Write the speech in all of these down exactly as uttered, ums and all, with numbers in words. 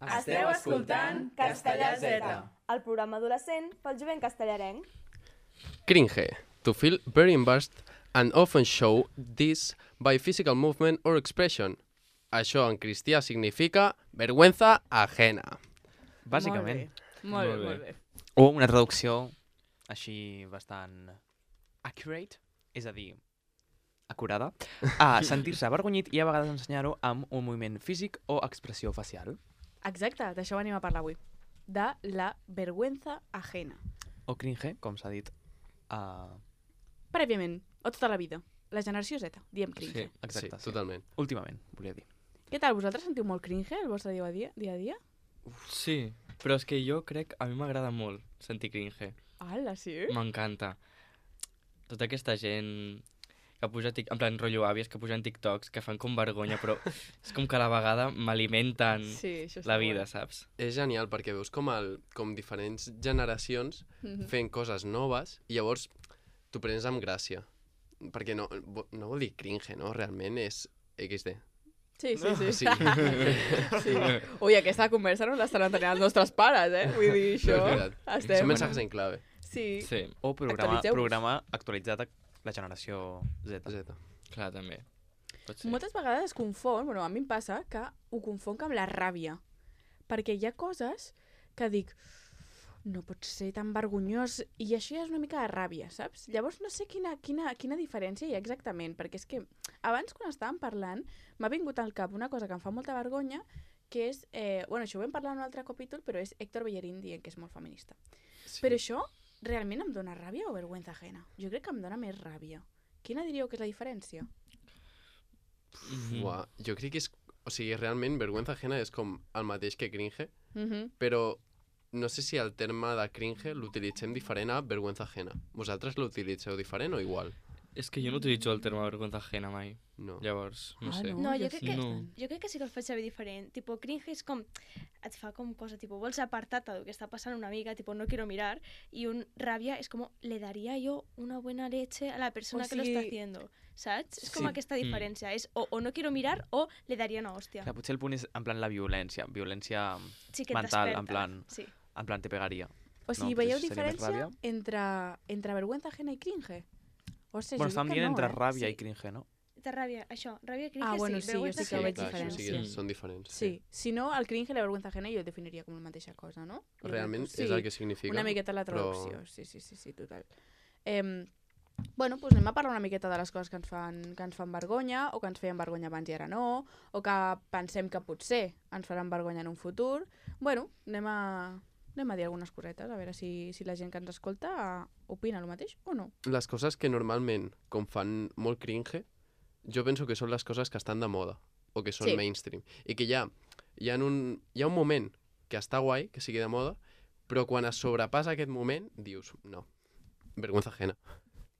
Esteu escoltant Castellà Z, el programa adolescent pel jovent castellarenc. Cringe, to feel very embarrassed and often show this by physical movement or expression. Això en cristià significa vergüenza ajena. Bàsicament. Molt bé, molt bé. O una traducció així bastant accurate, és a dir, acurada, a sentir-se avergonyit i a vegades ensenyar-ho amb un moviment físic o expressió facial. Exacte, d'això venim a parlar avui. De la vergüenza ajena. O cringe, com s'ha dit. Uh... Prèviament, o tota la vida. La generació Z, diem cringe. Sí, exacte. Sí, totalment. Últimament, volia dir. Què tal, vosaltres sentiu molt cringe el vostre dia a dia? dia, a dia? Sí, però és que jo crec, a mi m'agrada molt sentir cringe. Ala, sí? M'encanta. Tota aquesta gent que puja, tic... en plan, rotllo àvies, que pugen TikToks, que fan com vergonya, però és com que a la vegada m'alimenten Sí, això està la vida, guai. saps? És genial perquè veus com, el, com diferents generacions Mhm. fent coses noves i llavors t'ho prens amb gràcia. Perquè no, no vol dir cringe, no? Realment és equis de. Sí, sí, sí. Sí. sí. Ui, aquesta conversa no l'estan entenent els nostres pares, eh? Vull dir, No, això... és veritat. Estem... Són mensajes en clave. Sí. Sí, O programa, Actualitzeu-vos. programa actualitzat a la generació Z. Z. clar, també. Pot ser. Moltes vegades es confon, bueno, a mi em passa que ho confonc amb la ràbia. Perquè hi ha coses que dic, no pot ser tan vergonyós, i això ja és una mica de ràbia, saps? Llavors no sé quina, quina, quina diferència hi ha exactament, perquè és que abans quan estàvem parlant m'ha vingut al cap una cosa que em fa molta vergonya, que és, eh, bueno, això ho vam parlar en un altre capítol, però és Héctor Bellerín dient que és molt feminista. Sí. Però això realment em dona ràbia o vergüenza ajena? Jo crec que em dona més ràbia. Quina diríeu que és la diferència? Mhm. Uah, jo crec que és... O sigui, realment, vergüenza ajena és com el mateix que cringe, Mhm. però no sé si el terme de cringe l'utilitzem diferent a vergüenza ajena. Vosaltres l'utilitzeu diferent o igual? És que jo no utilitzo el terme vergüenza ajena mai. No. Llavors, no Ah, sé. no? No, jo jo crec, sí. que, No. jo crec que sí que el faig servir diferent. Tipo, cringe és com... Et fa com cosa, tipo, vols apartar-te del que està passant una mica, tipo, no quiero mirar, i un ràbia és com, le daría yo una buena leche a la persona O que lo sigui- está haciendo, saps? És com Sí. aquesta Mm. diferència, és o, o no quiero mirar o le daría una hòstia. Clar, potser el punt és en plan la violència. Violència Sí que et mental, desperta. en plan, Sí. en plan te pegaria. O sigui, No, veieu potser seria més diferència ràbia. entre, entre vergüenza ajena i cringe? O sigui, Bueno, jo estan crec que dient no, entre eh? ràbia Sí. i cringe, no? Té ràbia, això, ràbia, cringe, Ah, bueno, sí, jo vergüenza sí que ajena. veig clar, això sí diferència. que Sí. són diferents. Sí, si no, el cringe i la vergüenza ajena jo el definiria com la mateixa cosa, no? Jo crec Realment que és el que significa. Una miqueta la però- traducció, sí, sí, sí, sí, total. Eh, bueno, doncs anem a parlar una miqueta de les coses que ens, fan, que ens fan vergonya, o que ens feien vergonya abans i ara no, o que pensem que potser ens faran vergonya en un futur. Bueno, anem a, anem a dir algunes cosetes, a veure si, si la gent que ens escolta opina el mateix o no. Les coses que normalment, com fan molt cringe, jo penso que són les coses que estan de moda o que són Sí. mainstream. I que hi ha, hi, ha un, hi ha un moment que està guai, que sigui de moda, però quan es sobrepassa aquest moment, dius, no, vergüenza ajena.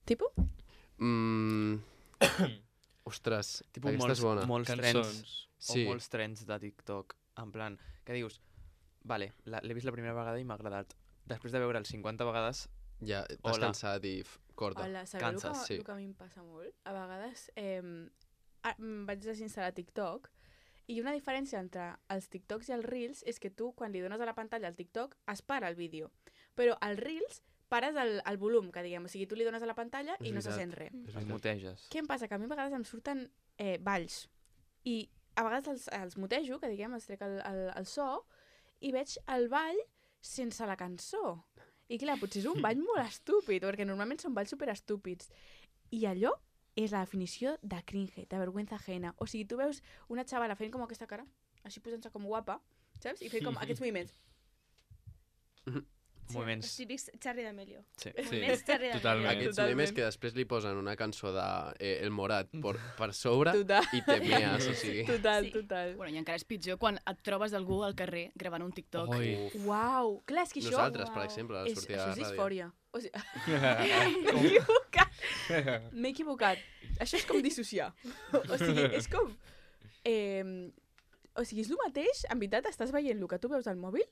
Tipo? Mm... Ostres, Tipo aquesta molts, és bona. molts trends, Cançons. Sí. o molts trends de TikTok, en plan, que dius, vale, la- l'he vist la primera vegada i m'ha agradat. Després de veure'l cinquanta vegades, Ja, t'has Hola. cansat i f- corta. Hola, sabeu el que, Canses, sí. el que a mi em passa molt? A vegades eh, a, em vaig desinstal·lar TikTok i una diferència entre els TikToks i els Reels és que tu, quan li dones a la pantalla al TikTok, es para el vídeo. Però als Reels pares el, el volum, que diguem. O sigui, tu li dones a la pantalla i És no se veritat. sent res. És el veritat. muteges. Què em passa? Que a mi a vegades em surten eh, balls. I a vegades els, els mutejo, que diguem, els trec el, el, el so, i veig el ball sense la cançó. I clar, potser és un ball molt estúpid, perquè normalment són balls superestúpids. I allò és la definició de cringe, de vergüenza ajena. O sigui, tu veus una xavala fent com aquesta cara, així posant-se com guapa, saps? I fent com aquests moviments. Sí, Moviments. els típics Charlie d'Amelio. Sí. Sí, Moviments Charlie totalment. d'Amelio. Aquests Totalment. memes que després li posen una cançó de eh, El Morat per, per sobre Total, i te mees, o sigui... total, Sí. total. Bueno, i encara és pitjor quan et trobes algú al carrer gravant un TikTok. Oi. Uf. Uau! Clar, és que això... Nosaltres, per Uau. exemple, a la És, sortida això de és la ràdio. disfòria. O sigui, m'he equivocat. M'he equivocat. Això és com dissociar. O sigui, és com... Eh, o sigui, és el mateix, en veritat estàs veient el que tu veus al mòbil,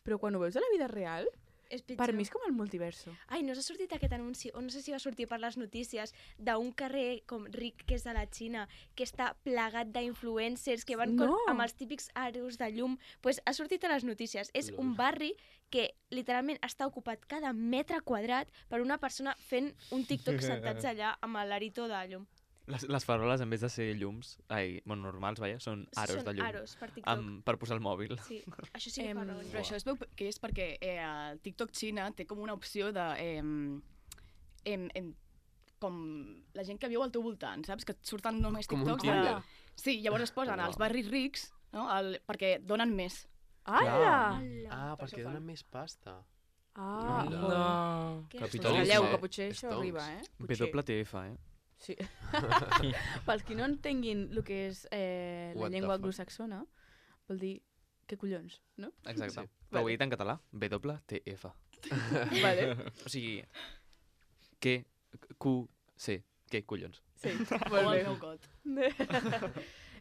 però quan ho veus a la vida real, És pitjor. Per mi és com el multiverso. Ai, no s'ha sortit aquest anunci, o no sé si va sortir per les notícies, d'un carrer com ric que és de la Xina, que està plagat d'influencers que van No. con, amb els típics aros de llum. Pues ha sortit a les notícies. És Lol. un barri que literalment està ocupat cada metre quadrat per una persona fent un TikTok sentats allà amb l'arito de llum. Les, les faroles, en vez de ser llums, ai, bueno, normals, vaja, són aros Són de llum. aros per TikTok. Amb, per posar el mòbil. Sí, això sí que Em, fa Però vergonya. això es veu que és perquè eh, el TikTok Xina té com una opció de... Eh, em, em, com la gent que viu al teu voltant, saps? Que et surten només Com un TikToks Tinder. de... Sí, llavors es posen Uau. als barris rics, no? El, perquè donen més. Ala! Ah, Per perquè això fan. donen més pasta. Ah, Mira. joder. No. Que Capitalisme. Calleu, eh? que potser això Stonks. arriba, eh? B Potser. W F, eh? Sí. Pels qui no entenguin el que és eh, la What the llengua fuck? anglosaxona, vol dir què collons, no? Exacte. Sí. Però ho he dit en català. B W T F. Vale. O sigui, què, Q, C, què collons. Sí, O molt el bé. meu got.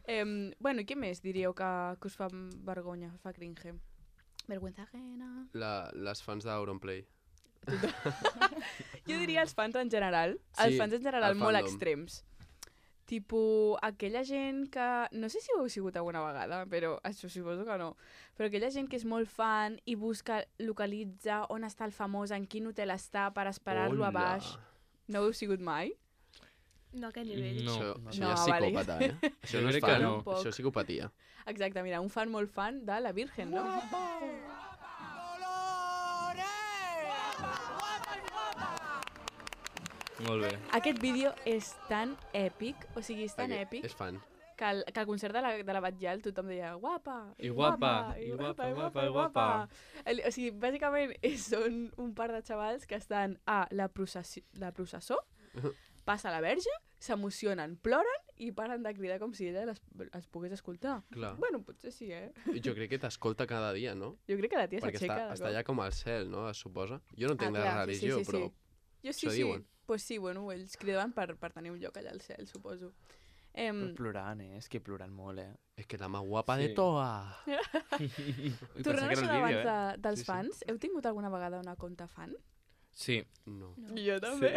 Em, bueno, i què més diríeu que, que us fa vergonya, us fa cringe? Vergüenza ajena... La, les fans d'Auronplay. Jo diria els fans en general, Sí, els fans en general el molt fandom. extrems. Tipo, aquella gent que... No sé si ho heu sigut alguna vegada, però això suposo que no. Però aquella gent que és molt fan i busca, localitza on està el famós, en quin hotel està, per esperar-lo a Hola. baix. No ho heu sigut mai? No a aquest nivell. No. Això, no. això No, ja és vale. psicòpata, eh? Això Jo no és crec que fan, no. això és psicopatia. Exacte, mira, un fan molt fan de la Virgen, no? Molt bé. Aquest vídeo és tan èpic, o sigui, és tan Aquest èpic, És fan. que al, que al concert de la, de la Batllal tothom deia guapa, I guapa, i guapa, guapa, i guapa. El, o sigui, bàsicament és, són un par de xavals que estan a la, processi, la processó, passa la verge, s'emocionen, ploren i paren de cridar com si ella les, els pogués escoltar. Clar. Bueno, potser sí, eh? Jo crec que t'escolta cada dia, no? Jo crec que la tia Perquè s'aixeca. està, de està cop. allà com al cel, no? Es suposa. Jo no entenc Ah, de clar, religió, sí, sí, però... sí. Jo sí, això sí. diuen. Pues sí, bueno, ells cridaven per, per tenir un lloc allà al cel, suposo. Em, Però plorant, eh? És que plorant molt, eh? És que la más guapa Sí. de toa. Ui, tornant a pensava que això era el d'abans vídeo, eh? de, dels Sí, sí. fans, heu tingut alguna vegada una conta fan? Sí. No. Jo també.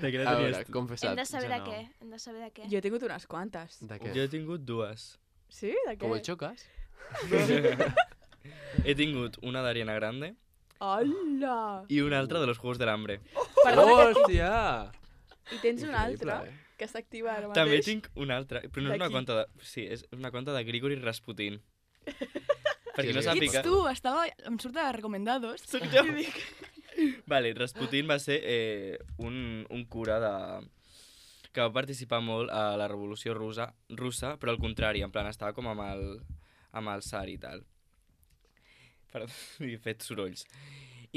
De què A veure, tenies tu? confessat. Hem de saber jo de no. què. Hem de saber de què. Jo he tingut unes quantes. De què? Jo he tingut dues. Sí? De què? Com el xocas? He tingut una d'Ariana Grande Hola! i una altra de los Juegos del Hambre. Perdona, Hòstia! I tens una Increïble, altra eh? que s'activa ara mateix. També tinc una altra, però no és De una qui? conta de... Sí, és una conta de Grigori Rasputin. Perquè Qui no és sàpiga... Ets tu, estava... em surt de recomendados. Soc jo. Vale, Rasputin va ser eh, un, un cura de... que va participar molt a la revolució russa, russa, però al contrari, en plan, estava com amb el, amb el tsar i tal. Perdó, he fet sorolls.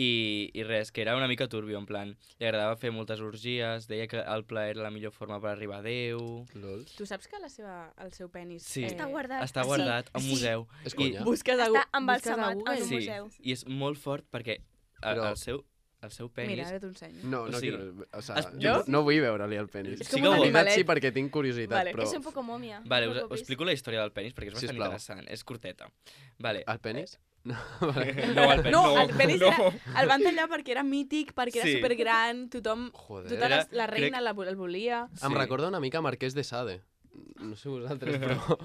I, I res, que era una mica turbio, en plan, li agradava fer moltes orgies, deia que el plaer era la millor forma per arribar a Déu... Lol. Tu saps que la seva, el seu penis... Sí. Està guardat. Està Sí, guardat a un sí. museu. És I- conya? Busques a, Gu- Està busques a embalsamat Google. en un Sí, museu. i és molt fort perquè el, Però- el, seu, el seu penis... Mira, ara t'ho ensenyo. No, no O sigui, quiero... O sea, es- jo no? no vull veure-li el penis. És com Sí un que animalet. sí, perquè tinc curiositat, Vale. però... És un poco momia. Vale, un us, poco us explico la història del penis perquè és bastant Sisplau. interessant. És curteta. Vale. El penis? No, vale. No, el penis. No, el penis no. era, el van tallar perquè era mític, perquè era Sí. supergran, tothom, Joder. tota la, Era- la reina crec- la, el volia. Em Sí. recorda una mica Marquès de Sade. No sé vosaltres, però...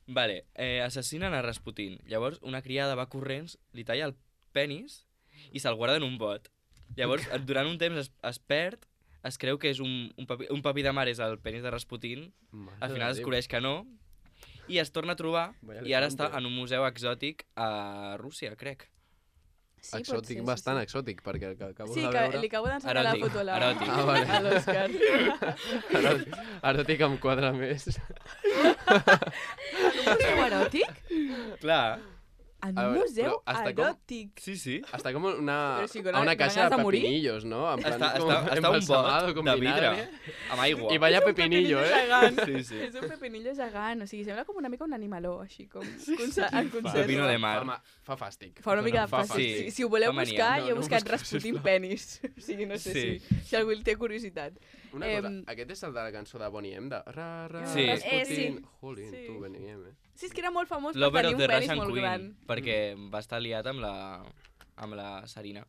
Vale, eh, assassinen a Rasputin. Llavors, una criada va corrents, li talla el penis i se'l guarda en un bot. Llavors, durant un temps es, es perd, es creu que és un, un, papi, un papi de mar és el penis de Rasputin, Mare al de final es Déu. descobreix que no, i es torna a trobar, Vaya i ara està elefante. en un museu exòtic a Rússia, crec. Sí, pot Exòtic, ser, bastant sí, exòtic, perquè el que acabo sí. Sí, de que veure... li acabo d'ensenyar la Eròtic, foto a la- eròtic. Ah, vale. a l'Òscar. Eròtic, eròtic em quadra més. Un museu eròtic? Clar, En A un veure, museu però hasta com- eròtic. sí, sí. Està com una, Però sí, con a una ganes caixa de de morir. pepinillos, no? En plan, Està, com està, està un embalsamado bot con de vidre, vinagre. amb aigua. I vaya És un pepinillo, eh? gegant. Sí, sí. És un pepinillo gegant, o sigui, sembla com una mica un animaló, així com conce- en conserva. Pepino de mar. Fa, ma- fa fàstic. Fa una mica de Fa fàstic. fàstic. Si, si ho voleu Fa mania. buscar, No, jo he no buscat busquis, Rasputin sisplau. penis. O sigui, no sé Sí. si, si algú té curiositat. Una cosa, Em, aquest és el de la cançó de Bonnie M, de... Ra, ra, Sí. Rasputin. Eh, sí. Jolín, Sí. tu, Bonnie M, eh? Sí, és que era molt famós per L'Over tenir of un the penis Russian molt Queen, gran. perquè va estar liat amb la, amb la Sarina.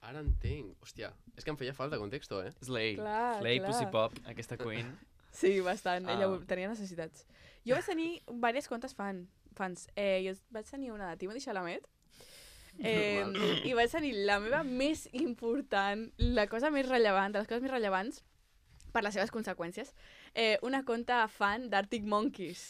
Ara entenc. Hòstia, és que em feia falta contexto, eh? Slay. Clar, Slay, clar. Pussy Pop. Aquesta queen. Sí, bastant. Ah. Ella ho- tenia necessitats. Jo vaig tenir diverses comptes fan, fans. Eh, jo vaig tenir una de Timothy Chalamet. Eh, I vaig tenir la meva més important, la cosa més rellevant, de les coses més rellevants, per les seves conseqüències, eh, una conta fan d'Arctic Monkeys.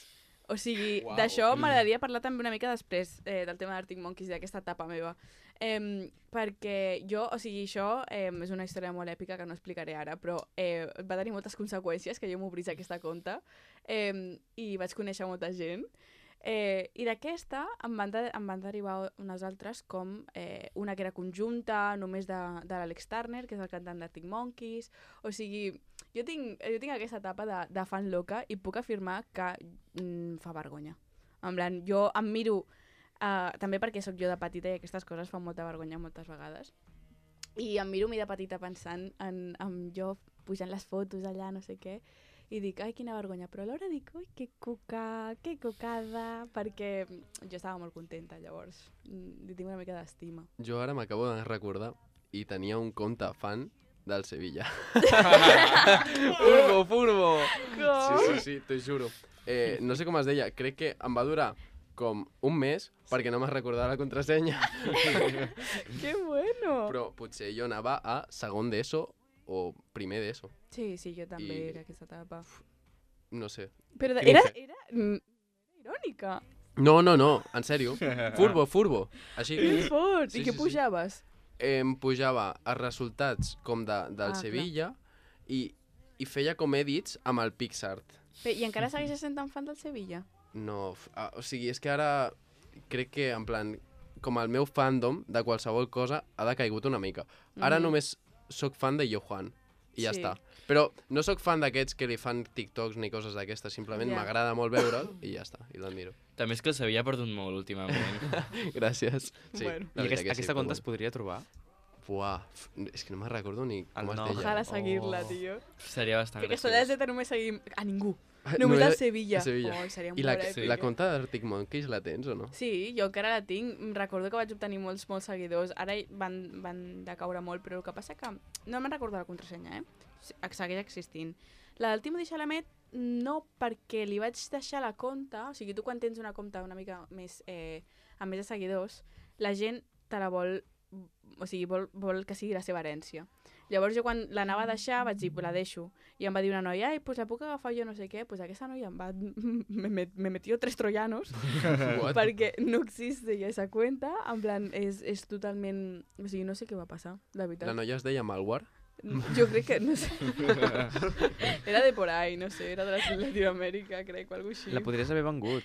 O sigui, Uau. d'això m'agradaria parlar també una mica després eh, del tema d'Arctic Monkeys, d'aquesta etapa meva. Eh, perquè jo, o sigui, això eh, és una història molt èpica que no explicaré ara, però eh, va tenir moltes conseqüències que jo m'obrís aquesta conta eh, i vaig conèixer molta gent. Eh, I d'aquesta em, van de, em van derivar unes altres com eh, una que era conjunta, només de, de l'Alex Turner, que és el cantant d'Arctic Monkeys. O sigui, jo tinc, jo tinc aquesta etapa de, de fan loca i puc afirmar que mm, fa vergonya. En plan, jo em miro, uh, també perquè sóc jo de petita i aquestes coses fan molta vergonya moltes vegades, i em miro a mi de petita pensant en, en jo pujant les fotos allà, no sé què, i dic, ai, quina vergonya, però alhora dic, ui, que cuca, que cocada, perquè jo estava molt contenta, llavors mm, li tinc una mica d'estima. Jo ara m'acabo de recordar i tenia un compte fan del Sevilla. Furbo, furbo! Sí, sí, sí, t'ho juro. Eh, no sé com es deia, crec que em va durar com un mes perquè no me'n recordava la contrasenya. Que bueno! Però potser jo anava a segon d'ESO o primer d'ESO. Sí, sí, jo també I- era aquesta etapa. No sé. Però de, Cringe. era, era, mm, era irònica. No, no, no, en sèrio. Furbo, furbo. Així. Que fort! Sí, I què sí, sí. pujaves? Em pujava els resultats com de, del Ah, clar. Sevilla i, i feia com edits amb el PixArt. Bé, I encara segueixes sent tan fan del Sevilla? No, f- ah, o sigui, és que ara crec que, en plan, com el meu fandom de qualsevol cosa ha decaigut una mica. Ara Mhm. només sóc fan de Johan i ja Sí. està. Però no sóc fan d'aquests que li fan TikToks ni coses d'aquestes, simplement Ja. m'agrada molt veure'l i ja està, i l'admiro. També és que el Sevilla ha perdut molt últimament. Gràcies. Sí, Bueno. la I veritat aquest, que sí, aquesta però conta es bueno. podria trobar? Buah, f- és que no me'n recordo ni com El es nom. deia. Ojalà seguir-la, Oh. tio. Seria bastant Que aquesta graciós. de no me seguim a ningú. Ah, Només no al era- Sevilla. a Sevilla. Oh, seria I la, molt èpic. la conta d'Arctic Monkeys la tens o no? Sí, jo encara la tinc. Em Recordo que vaig obtenir molts, molts seguidors. Ara hi van, van decaure molt, però el que passa que no me'n recordo la contrasenya, eh? Se- Segueix existint. La del Timothy Chalamet no, perquè li vaig deixar la compta, o sigui, tu quan tens una compta una mica més, eh, amb més de seguidors, la gent te la vol, o sigui, vol, vol que sigui la seva herència. Llavors jo quan l'anava a deixar vaig dir, pues la deixo. I em va dir una noia, ai, pues la puc agafar jo no sé què. Pues aquesta noia em va... me, me, me metió tres troyanos What? perquè no existe ja esa cuenta. En plan, és, és totalment... O sigui, no sé què va passar, la veritat. La noia es deia Malware? Jo crec que, no sé... era de por ahí, no sé, era de la- Latinoamèrica, crec, o alguna cosa així. La podries haver vengut.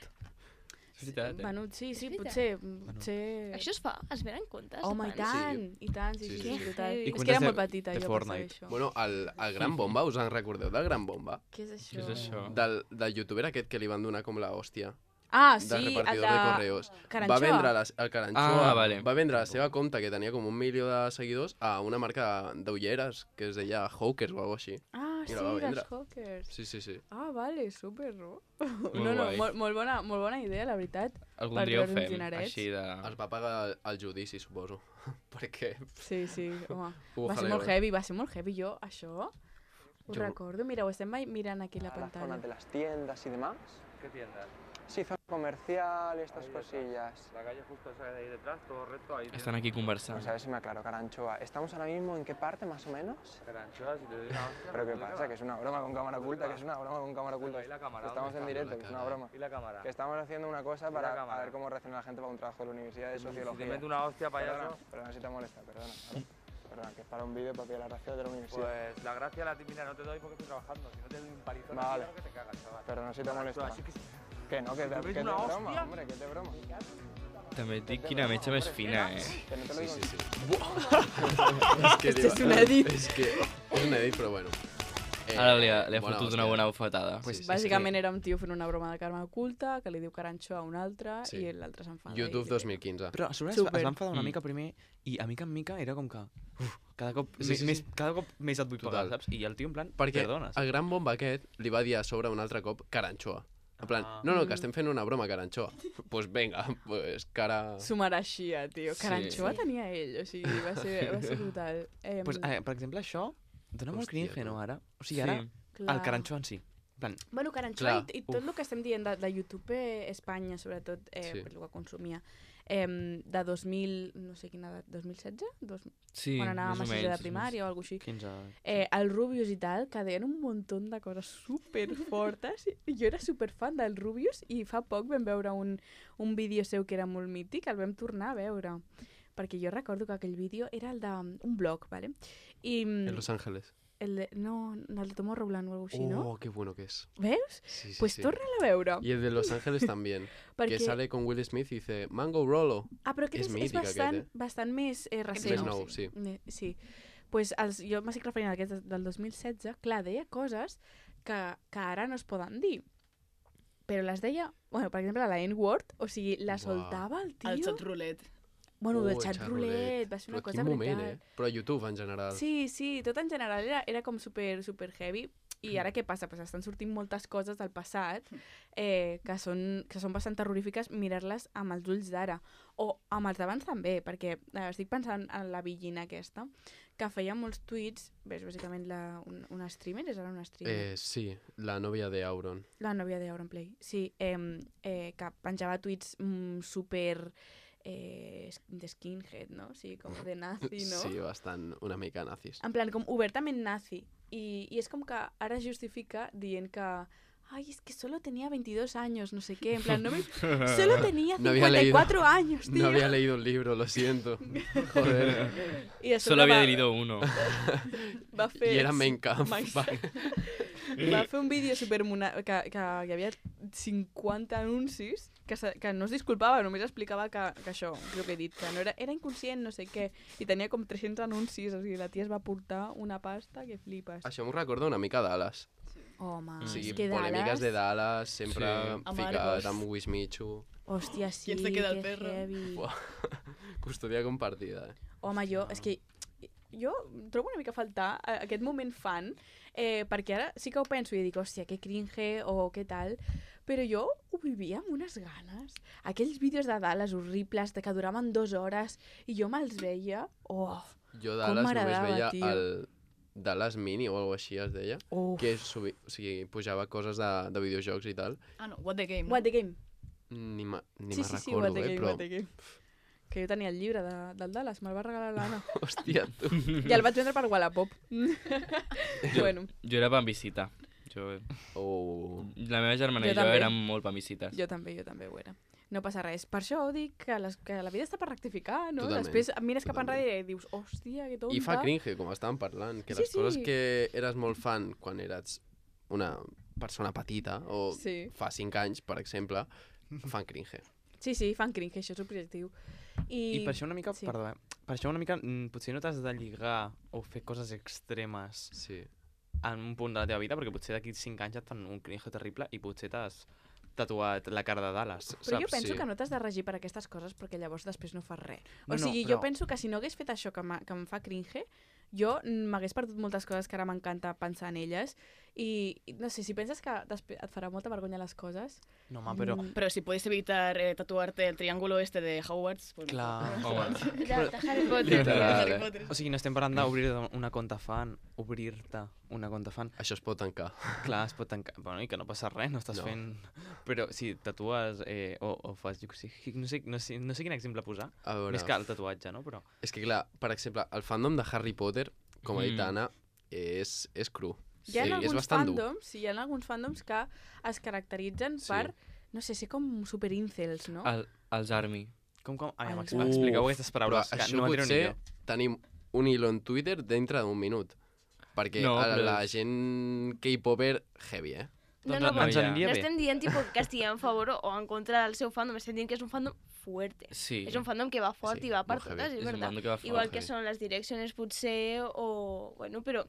És veritat, eh? Bueno, sí, sí, És veritat. potser, potser... Això es fa? Es venen comptes? de Home, i fans? tant, i tant, sí, sí, Sí, sí, sí. sí, brutal. I És que comptes era de- molt petita, de jo Fortnite. per fer això. Bueno, el, el Gran Bomba, us en recordeu del Gran Bomba? Què és això? Què és això? Del, del youtuber aquest que li van donar com la hòstia. Ah, Del sí, el repartidor de... de correos. Caranxoa. Va vendre la, el Caranxoa, Ah, vale. va vendre la seva compte, que tenia com un milió de seguidors, a una marca d'ulleres que es deia Hawkers o alguna així. Ah, I sí, la va vendre. dels Hawkers. Sí, sí, sí. Ah, vale, super, no? Molt no, no, guai. molt, molt, bona, molt bona idea, la veritat. Algun Per dia ho veure uns fem, dinerets. així de... Es va pagar el, el judici, suposo. Perquè... Sí, sí, home. Hubo Va ser jaleo, molt eh? heavy, va ser molt heavy, jo, això. Ho Jo- recordo, mira, ho estem mai mirant aquí a la a las zonas pantalla. de las tiendas y demás. ¿Qué tiendas? Sí, zona comercial y estas Ahí está. cosillas. La calle justo esa de ahí detrás, todo recto, ahí. Estan aquí conversant. Vamos a ver si me aclaro, Caranchoa. ¿Estamos ahora mismo en qué parte, más o menos? Caranchoa, si te doy una hostia. ¿Pero qué ¿dónde pasa? vas? Que es una broma con cámara oculta, que es una broma con cámara oculta. Ahí la cámara, Que estamos ¿dónde en está? directo, que es una broma. ¿Y la cámara? Que estamos haciendo una cosa ¿Y la para a cámara? ver cómo reacciona la gente para un trabajo de la Universidad de Si te Sociología. meto una hostia, Perdona, payaso, perdona si te molesta, perdona. ¿vale? Perdona, que es para un vídeo para pillar la gracia de la universidad. pues la gracia la típica no te doy porque estoy trabajando. Si no te doy un palizón, Vale. aquí, claro que te cagas, chaval. Perdona si te molesta. Así que sí. Que no, que, Si te, te que meto te una broma, hostia. hombre, que te broma. També et dic quina metge més fina, eh? Que no te lo Sí, digo sí, yo. sí. és que, Este és un edit. És que és un edit, però bueno. Eh, Ara li ha, li ha bona fotut una hòstia. bona bufetada. Pues, és Bàsicament era un tio fent una broma de karma oculta, que li diu caranxo a un altre, Sí. i l'altre s'enfada. YouTube i- dos mil quinze. Però a sobre es, Super. es va enfadar una Mm. mica primer i a mica en mica era com que... Uf, cada cop, Sí, més, sí, més, sí. cada cop més et vull pagar, Total. saps? I el tio en plan, Perquè perdona. el gran bomba aquest li va dir a sobre un altre cop Caranxoa. En plan, Ah. no, no, que estem fent una broma, Caranxoa. Doncs pues venga, pues cara... S'ho mereixia, tio. Caranxoa Sí. tenia ell, o sigui, va ser, va ser brutal. Eh, Pues, eh, per exemple, això dona molt Hòstia, cringe, tu. no, ara? O sigui, ara, clar. el caranxó en si. En plan, Bueno, Caranxoa Clar. i, i tot el que estem dient de, de YouTube eh, Espanya, sobretot, eh, Sí. per el que consumia, eh, de dos mil, no sé quina edat, dos mil setze? Dos, Sí, quan anàvem més a o sisè menys. de primària o alguna així. quinze... Eh, el Rubius i tal, que deien un muntó de coses super fortes. Jo era super fan del Rubius i fa poc vam veure un, un vídeo seu que era molt mític, el vam tornar a veure. Perquè jo recordo que aquell vídeo era el d'un blog, ¿vale? I, En Los Ángeles. el de, no, el de Tomorrowland o alguna així, ¿no? Oh, qué bueno que es. Veus? Sí, sí, Pues sí. torna-la a veure. Y el de Los Ángeles también. Perquè... Que sale con Will Smith y dice, Mango Rolo. Ah, però aquest És és, és mític, bastant, aquest, eh? bastant més eh, recent. Més nou, sí. Ne- Sí. Pues els, jo m'estic referint a aquest del dos mil setze. Clar, deia coses que, que ara no es poden dir. Però les deia, bueno, per exemple, la N-word, o sigui, la Uau. soltava el tio. El xat roulette. Bueno, Oh, el el xat xat roulette, roulette. va ser Però una quin cosa moment, brutal. eh? Però a YouTube en general. Sí, sí, tot en general era, era com super, super heavy. I ara què passa? Pues estan sortint moltes coses del passat eh, que, són, que són bastant terrorífiques mirar-les amb els ulls d'ara. O amb els d'abans també, perquè eh, estic pensant en la Villina aquesta, que feia molts tuits, ves, bàsicament la, un, una streamer, és ara una streamer, Eh, sí, la novia de Auron. la nòvia d'Auronplay, sí, eh, eh, que penjava tuits mm, super eh, de skinhead, no? O sigui, com de nazi, no? Sí, bastant una mica nazis. En plan, com obertament nazi. I, I és com que ara es justifica dient que ay, es que solo tenía veintidós años, no sé qué. En plan, no me... solo tenía No había cincuenta y cuatro leído- años, tío. No había leído el libro, lo siento. Joder. I de Solo sobre había va, leído uno. va fer... Y era Mein Kampf. Mein vale. Va fer un vídeo supermona... que, que hi havia cinquanta anuncis que, se, que no es disculpava, només explicava que, que això, el que he dit, que no era, era inconscient, no sé què, i tenia com tres-cents anuncis, o sigui, la tia es va portar una pasta que flipes. Això m'ho recorda una mica Dallas. Home, O sigui, és que polèmiques Dallas... de Dallas, sempre Sí. ficat Amargos. amb Wismichu. Hòstia, sí, ¿Quién se queda el que perro? heavy. Buah. Custodia compartida, eh? Home, jo, és que jo trobo una mica a faltar eh, aquest moment fan, eh, perquè ara sí que ho penso i dic, hòstia, que cringe o què tal, però jo ho vivia amb unes ganes. Aquells vídeos de Dallas horribles, de que duraven dues hores, i jo me'ls veia, oh, Jo Dallas només m'agradava, veia tio. el Dallas Mini o alguna així es deia, oh. que subi, o sigui, pujava coses de, de videojocs i tal. Ah, no, What the Game. What the Game. Ni me, ni sí, me sí, sí, recordo, What the eh, Game, però... What the Game. Que jo tenia el llibre de, del Dallas, me'l va regalar l'Anna. Hòstia, tu. I el vaig vendre per Wallapop. bueno, Jo era pan visita. Jo... Oh. La meva germana Jo i jo també. érem molt pan visites. jo també, jo també ho era. No passa res. Per això dic que, les, que la vida està per rectificar, no? Totalment, Després mires cap totalment. enrere i dius, hòstia, que tonta. I fa cringe, com estàvem parlant, que Sí, les coses sí. que eres molt fan quan eres una persona petita, o Sí. fa cinc anys, per exemple, fan cringe. Sí, sí, fan cringe, això és objectiu. I, I per això una mica, sí. sí. perdó, eh? Per això una mica, mm, potser no t'has de lligar o fer coses extremes Sí. en un punt de la teva vida, perquè potser d'aquí cinc anys et fan un cringe terrible i potser t'has tatuat la cara de Dallas, Però jo saps? penso Sí. que no t'has de regir per aquestes coses perquè llavors després no fas res. O No, no, sigui, però- jo penso que si no hagués fet això que, m'ha- que em fa cringe, jo m'hagués perdut moltes coses que ara m'encanta pensar en elles i, i no sé, si penses que després et farà molta vergonya les coses... No, home, però... mm, Pero si puedes evitar eh, tatuarte el triángulo este de Hogwarts, pues Clar. Home, De, de Harry Potter. Literal, Harry eh? Potter. O sigui, no estem parlant d'obrir una conta fan, obrir-te una conta fan. Això es pot tancar. Clar, es pot tancar... Bueno, i que no passa res, no estàs No. fent... Però si tatues eh, o, o fas... Jo, sé, no, sé, no, sé, no sé quin exemple posar, A veure, més que el tatuatge, no? Però... és que clar, per exemple, el fandom de Harry Potter, com ha dit Mm. Anna, és, és cru. Hi ha Sí, és alguns bastant dur. fandoms, sí, hi ha alguns fandoms que es caracteritzen Sí. per, no sé, ser com super incels, no? el, els Army. Com, com? Ai, Els- Max, expliqueu Uf, aquestes paraules, però que això no m'entero ni potser jo. tenim un hilo en Twitter dintre d'un minut. Perquè No, a però la és- gent K-popper, heavy, eh? No, Doncs no, ens però ja- aniria No bé. estem dient tipo, que estigui en favor o en contra del seu fandom, estem dient que és un fandom fuerte. Sí. És un fandom que va fort Sí, i va per molt heavy. totes, és És un veritat. bando que va fort, Igual que heavy. són les direccions potser o... Bueno, però...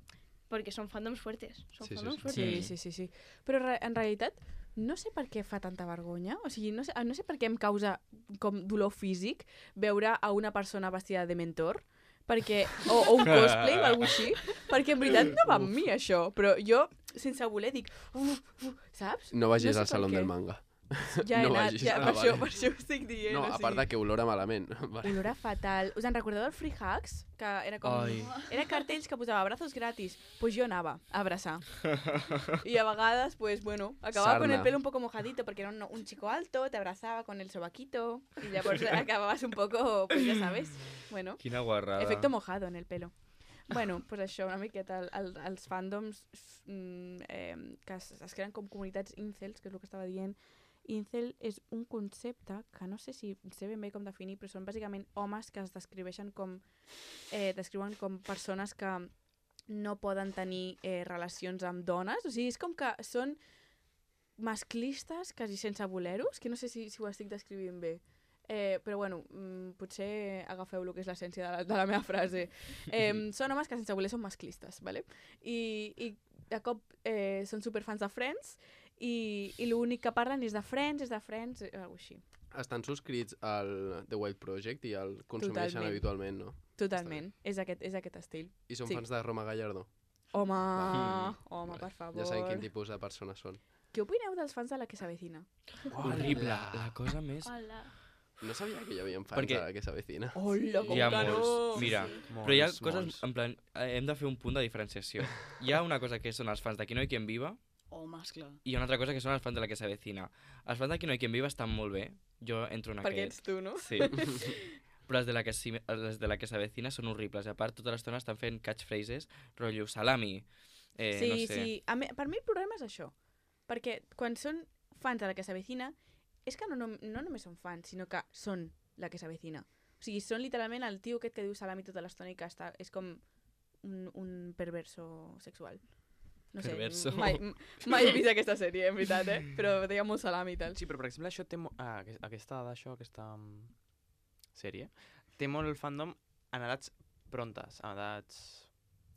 Perquè són fandoms fuertes. Són Sí, sí, fandoms sí. fuertes. Sí, sí, sí, sí. Però re- en realitat no sé per què fa tanta vergonya, o sigui, no sé, no sé per què em causa com dolor físic veure a una persona vestida de mentor, perquè, o, o un cosplay o alguna així, perquè en veritat no va amb mi això, però jo sense voler dic, uf, uf, saps? No vagis sé al per saló què. del manga. Ja he No anat, vagis. ja, Ah, per, això, vale. per això ho estic dient. No, o a part sigui, de que olora malament. Vale. olora fatal. Us en recordeu del Free Hugs? Que era com... Ai. Era cartells que posava abrazos gratis. Pues jo anava a abraçar. Y a vegades, pues bueno, acababa con el Sarna. pelo un poco mojadito porque era un, un chico alto, te abrazaba con el sobaquito y ya por eso acababas un poco, pues ya sabes, bueno, Quina guarrada. efecto mojado en el pelo. Bueno, pues això, una miqueta, el, el, els fandoms mm, eh, que es, es creen com comunitats incels, que és el que estava dient. Incel és un concepte que no sé si sé ben bé com definir, però són bàsicament homes que es descriveixen com, eh, descriuen com persones que no poden tenir eh, relacions amb dones. O sigui, és com que són masclistes quasi sense voler-ho. És que no sé si, si ho estic descrivint bé. Eh, però bueno, mm, potser agafeu el que és l'essència de, la, de la meva frase. Eh, són homes que sense voler són masclistes, ¿vale? I, i de cop eh, són superfans de Friends i, i l'únic que parlen és de Friends, és de Friends, eh, alguna així. Estan subscrits al The Wild Project i el consumeixen Totalment. habitualment, no? Totalment, és aquest, és aquest estil. I són Sí. fans de Roma Gallardo. Home, Va. home, per favor. Ja sabem quin tipus de persones són. Què opineu dels fans de la que s'avecina? Horrible. La cosa més... Hola. No sabia que hi havia fans Perquè- de la que s'avecina. Hola, com Hi ha que no! molts. Mira, Molts, però hi ha molts. coses, en plan, eh, hem de fer un punt de diferenciació. Hi ha una cosa que són els fans de Qui no hi quien viva Homes, clar. i hi ha una altra cosa que són els fans de la que s'avecina. Els fans de Qui no hi quien viva estan molt bé. Jo entro en Perquè aquest. ets tu, no? Sí. Però els de la que, si- els de la que s'avecina són horribles. I a part, tota l'estona estan fent catchphrases, rotllo salami, eh, sí, no sé. sí. A mi, per mi el problema és això. Perquè quan són fans de la que s'avecina, és que no, no, no només són fans, sinó que són la que s'avecina. O sigui, són literalment el tio aquest que diu salami tota l'estona i que està, és com un, un perverso sexual. No sé, Perverso. mai, mai he vist aquesta sèrie, en veritat, eh? Però deia molt salami i tal. Sí, però per exemple això té... mo- Ah, aqu- aquesta d'això, aquesta mm, sèrie, té molt el fandom en edats prontes, en edats...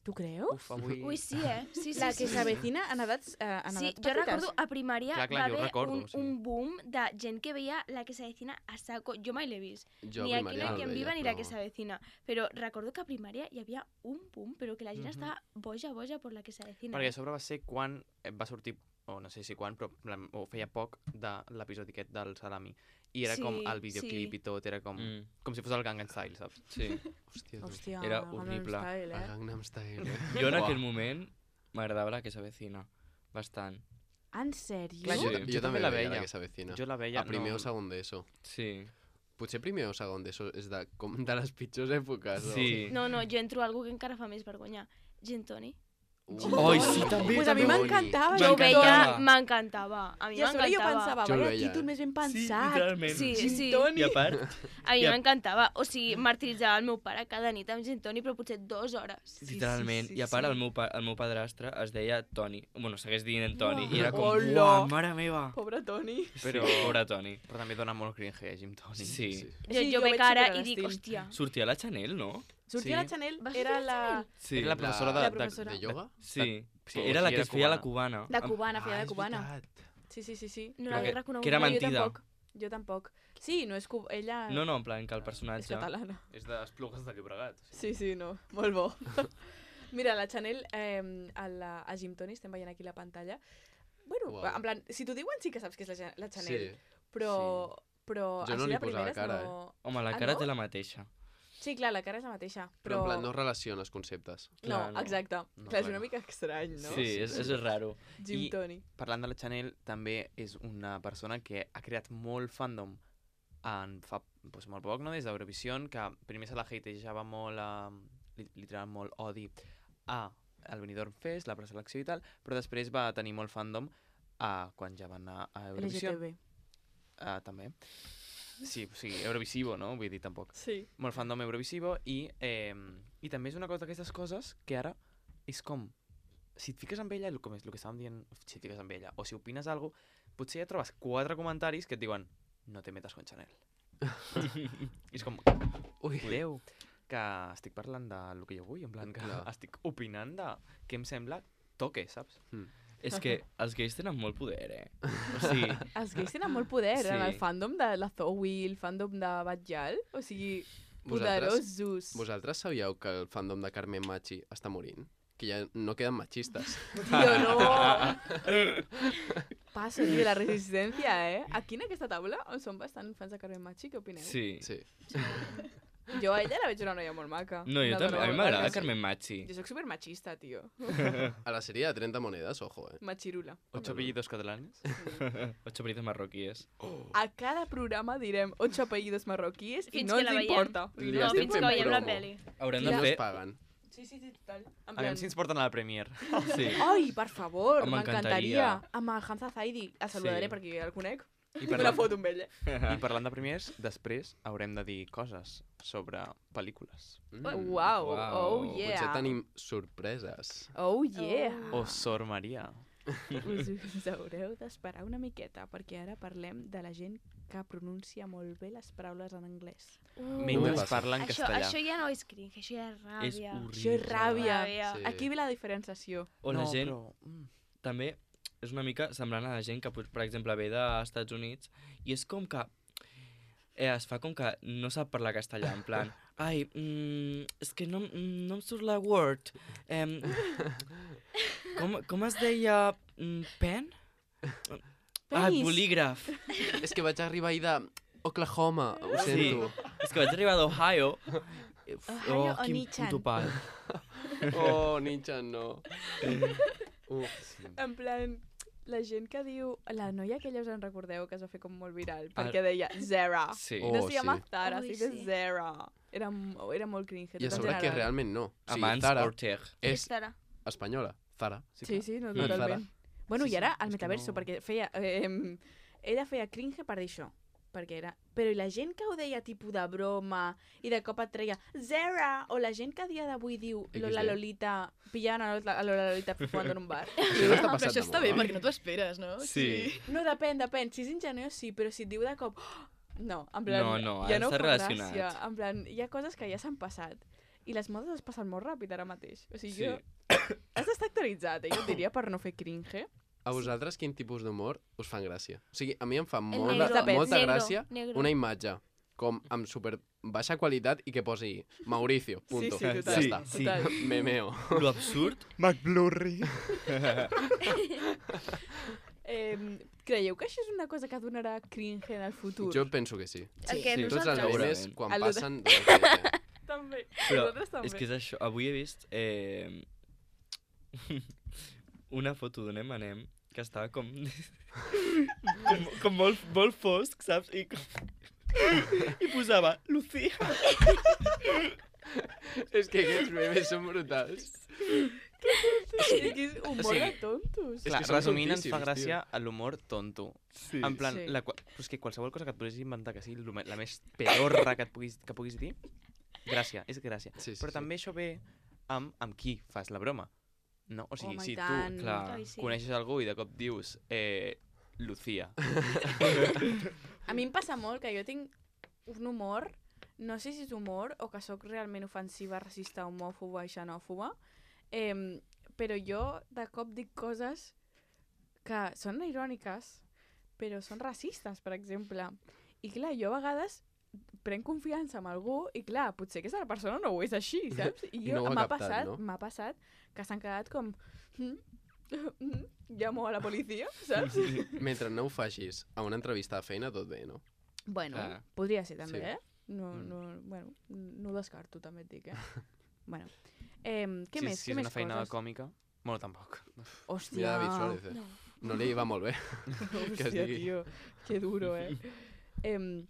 Tu creus? Uf, avui... Ui, sí, eh? Sí, sí, La sí, que sí. s'avecina en edats, eh, en Sí, edats jo petites. recordo a primària Clar, clar, va jo ho haver recordo, un, sí. un boom de gent que veia la que s'avecina a saco. Jo mai l'he vist. Jo ni a aquí primària no no hi el en veia, viva ni la que però- s'avecina. Però recordo que a primària hi havia un boom, però que la gent Mhm. estava boja, boja per la que s'avecina. Perquè a sobre va ser quan eh, va sortir, o no sé si quan, però en plan, o feia poc de l'episodi aquest del salami. I era com Sí, el videoclip sí. i tot, era com, Mm, com si fos el Gangnam Style, saps? sí. Hòstia, tu. Hòstia, Era Gangnam horrible. Style, El eh? Gangnam Style, eh? Jo en Uah. aquell moment m'agradava la que s'avecina. Bastant. En sèrio? Clar, Jo, jo- jo, jo també també la la veia, veia. la que s'avecina. Jo la veia... A primer no... o segon d'ESO. Sí. Potser primer o segon d'ESO és de, com de les pitjors èpoques. o- Sí. No, no, jo entro a algú que encara fa més vergonya. Gin Toni. Uh. Ai, sí, també, Pues a mi també. m'encantava. Jo ho veia, M'encantava. m'encantava. A mi I a sobre jo m'encantava. pensava, Jo el vaya veia, títol eh? més ben Sí, pensat. literalment. Sí, Gin sí. Toni. I a part, A mi I a- m'encantava. O sigui, martiritzava el meu pare cada nit amb gin toni, però potser dues hores. literalment. sí, I a part, sí. el meu, pa el meu padrastre es deia Toni. Bueno, segueix dient en Toni. Uah. I era com, Hola. uah, mare meva. Pobre Toni. Però... Però- Pobre Toni. Però també dona molt cringe, eh, Jim Tony. Sí. Sí. Jo, Sí, jo jo veig veig ara super i dic, l'estil. hòstia. Sortia la Chanel, no? Sortia Sí. la Chanel, Va era sortir la la... Chanel? Sí. Era la professora La- de... la de- professora. De ioga? Sí. Sí, Era la sí, que era es feia la cubana. cubana. De cubana, feia Ah, de és cubana. veritat. Sí, sí, sí, sí. No Però l'havia que- reconegut. que era mai. No, jo mentida. tampoc. Jo tampoc. Sí, no és cu... ella No, no, en plan que el és personatge... catalana. És d'Esplugues de Llobregat. Sí, sí, no. Molt bo. Mira, la Chanel, eh, a, la, a Jim Tony, estem veient aquí la pantalla. Bueno, Uau. en plan, si t'ho diuen sí que saps que és la, Ja- la Sí. Chanel, però... Però Jo no així li de posava primeres cara, no... Home, la Ah, cara no? té la mateixa. Sí, clar, la cara és la mateixa, Però però... en plan no relaciones conceptes. No, Clar, no. exacte. No, clar, és clar. una mica estrany, no? Sí, és, és raro. Jim I- Tony. Parlant de la Chanel, també és una persona que ha creat molt fandom en fa doncs, molt poc, no? Des d'Eurovision, que primer se la hatejava molt, eh, li- literal molt odi a el Benidorm Fest, la preselecció i tal, però després va tenir molt fandom a, quan ja va anar a L G Eurovision. T B. Uh, també. Sí, o sigui, Eurovisivo, no? Vull dir, tampoc. Sí. Molt fandom Eurovisivo i, eh, i també és una cosa d'aquestes coses que ara és com, si et fiques amb ella, el, com és el que estàvem dient, si et fiques amb ella, o si opines alguna cosa, potser ja trobes quatre comentaris que et diuen no te metes con Chanel. I és com, Ui. cuideu, que estic parlant del que jo vull, en plan que Clar. estic opinant de què em sembla toque, saps? És que els gais tenen molt poder, eh? O sigui, Els gais tenen molt poder Sí. en el fandom de la Zoe, el fandom de Batjal. O sigui, Vosaltres, poderosos. vosaltres sabíeu que el fandom de Carmen Machi està morint? que ja no queden machistes. Tio, no! Passa, tio, la resistència, eh? Aquí en aquesta taula som bastant fans de Carmen Machi, què opineu? Sí. Sí. Jo a ella la veig una noia molt maca. No, jo Una també. dona A mi molt m'agrada maca. Carmen Machi. Jo soc supermachista, tio. A la sèrie de trenta monedes, ojo, eh? Machirula. Ocho apellidos catalanes. Ocho apellidos marroquíes. A cada programa direm ocho apellidos marroquíes i Fins no que ens la veiem. importa. Li No, estem fins que fent veiem la promo. peli. Haurem I de no fer... es paguen. Sí, sí, sí, total. En A plan... veure si ens porten a la Premier. Sí. Ai, per favor, M'encantaria. m'encantaria. Amb el Hamza Zaidi. El saludaré Sí. perquè el conec. I Me la parlant, foto amb ell, eh? I parlant de premiers, després haurem de dir coses sobre pel·lícules. Mm. Uau, Uau. oh Potser yeah. tenim sorpreses. Oh yeah. O Sor Maria. Us, us haureu d'esperar una miqueta, perquè ara parlem de la gent que pronuncia molt bé les paraules en anglès. Mentre passa. parla en Això, castellà. això ja no és cringe, això ja és És ràbia. horrible. Això és ràbia. Ràbia. Sí. Aquí ve la diferenciació. O la no, gent... Però... Mm. També és una mica semblant a la gent que, per exemple, ve dels Estats Units i és com que eh, es fa com que no sap parlar castellà, en plan, ai, mm, és que no, no em surt la word. Eh, com, com es deia mm, pen? Ah, Penis. bolígraf. És que vaig arribar ahir d'Oklahoma, ho Sí. sento. És que vaig arribar d'Ohio. Ohio o quin Nichan? puto pal. Oh, Nichan, no. Uf, sí. En plan, la gent que diu... La noia aquella us en recordeu que es va fer com molt viral, Ah. perquè deia Zara. Sí. Oh, no se llama sí. Zara, Ui, sí que sí. és Zara. Era, m- era molt cringe. I a tot en sobre que general. realment no. O sigui, Amants Zara Orteg. és Zara. espanyola. Zara. Sí, sí, no, Mm. totalment. Bueno, Sí, i ara sí, al és que metaverso, no- perquè feia... Eh, ella feia cringe per dir això. Perquè era... Però i la gent que ho deia tipus de broma i de cop et treia Zara, o la gent que a dia d'avui diu X D. Lola Lolita, pillant a la, a la Lolita fumant en un bar. Això no està Però passant això de està bé, moda. perquè no t'ho esperes, no? Sí. No, depèn, depèn. Si és ingeniós, sí, però si et diu de cop... "Oh", no, en plan... No, no, ha ja no d'estar fa relacionat. gràcia. En plan, hi ha coses que ja s'han passat. I les modes es passen molt ràpid ara mateix. O sigui, Sí. jo... Has d'estar actualitzat, eh? Jo et diria per no fer cringe. A vosaltres quin tipus d'humor us fan gràcia? O sigui, a mi em fa El molt, negro, molta negro, gràcia negro. una imatge com amb super baixa qualitat i que posi Mauricio, punto. Sí, sí, total. Ja Sí, està. sí. Total. Memeo. Lo absurd. McBlurry. Eh, creieu que això és una cosa que donarà cringe en el futur? Jo penso que sí. El que Sí. Tots els nosaltres... memes, Segurament. quan El de- passen... donen cringe. També. Però Nosaltres també. és que és això. Avui he vist eh, una foto d'un M and M que estava com... com, com molt, molt fosc, saps? I, com... I posava Lucía. És que aquests memes són brutals. És que és humor O sigui, de tontos. És Clar, que són resumint, ens fa tontíssims, gràcia l'humor tonto. Sí. En plan, Sí. la, qua- però és que qualsevol cosa que et puguis inventar que sigui lo me- la més pedorra que et puguis, que puguis dir, gràcia, és gràcia. Sí, sí, Però sí. també això ve amb, amb qui fas la broma. No? O sigui, Home, si i tu tant. Clar. Ai, sí. coneixes algú i de cop dius eh, Lucía. A mi em passa molt que jo tinc un humor, no sé si és humor o que sóc realment ofensiva, racista, homòfoba i xenòfoba, eh, però jo de cop dic coses que són iròniques, però són racistes, per exemple. I clar, jo a vegades prenc confiança en algú i clar, potser aquesta persona no ho és així, saps? I I jo no ho ha m'ha captat, passat, no? m'ha passat que s'han quedat com "Mm, mm, llamo a la policia, saps? Mentre no ho facis a una entrevista de feina, tot bé, no? Bueno, Clar. podria ser també, Sí. eh? No, Mm. no, bueno, no ho descarto, també et dic, eh? bueno, eh, què si, més? si què és més una feina coses? còmica, bueno, tampoc. Hòstia, Mira David Suárez, eh? No. No li va molt bé. que es hòstia, digui. tio, que duro, eh? eh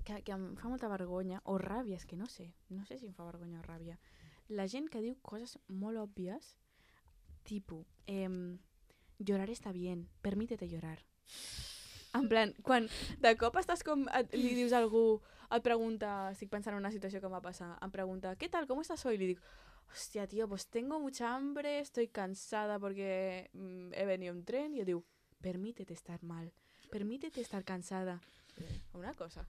que, que em fa molta vergonya, o ràbia, és que no sé, no sé si em fa vergonya o ràbia. La gent que diu coses molt òbvies, tipus, eh, llorar està bien, permítete llorar. En plan, quan de cop estàs com, et, li dius a algú, et pregunta, estic pensant en una situació que em va passar, em pregunta, ¿qué tal? ¿Cómo estás hoy? Y le digo, hostia, tío, pues tengo mucha hambre, estoy cansada porque mm, he venido en tren. Y yo digo, permítete estar mal, permítete estar cansada. Una cosa.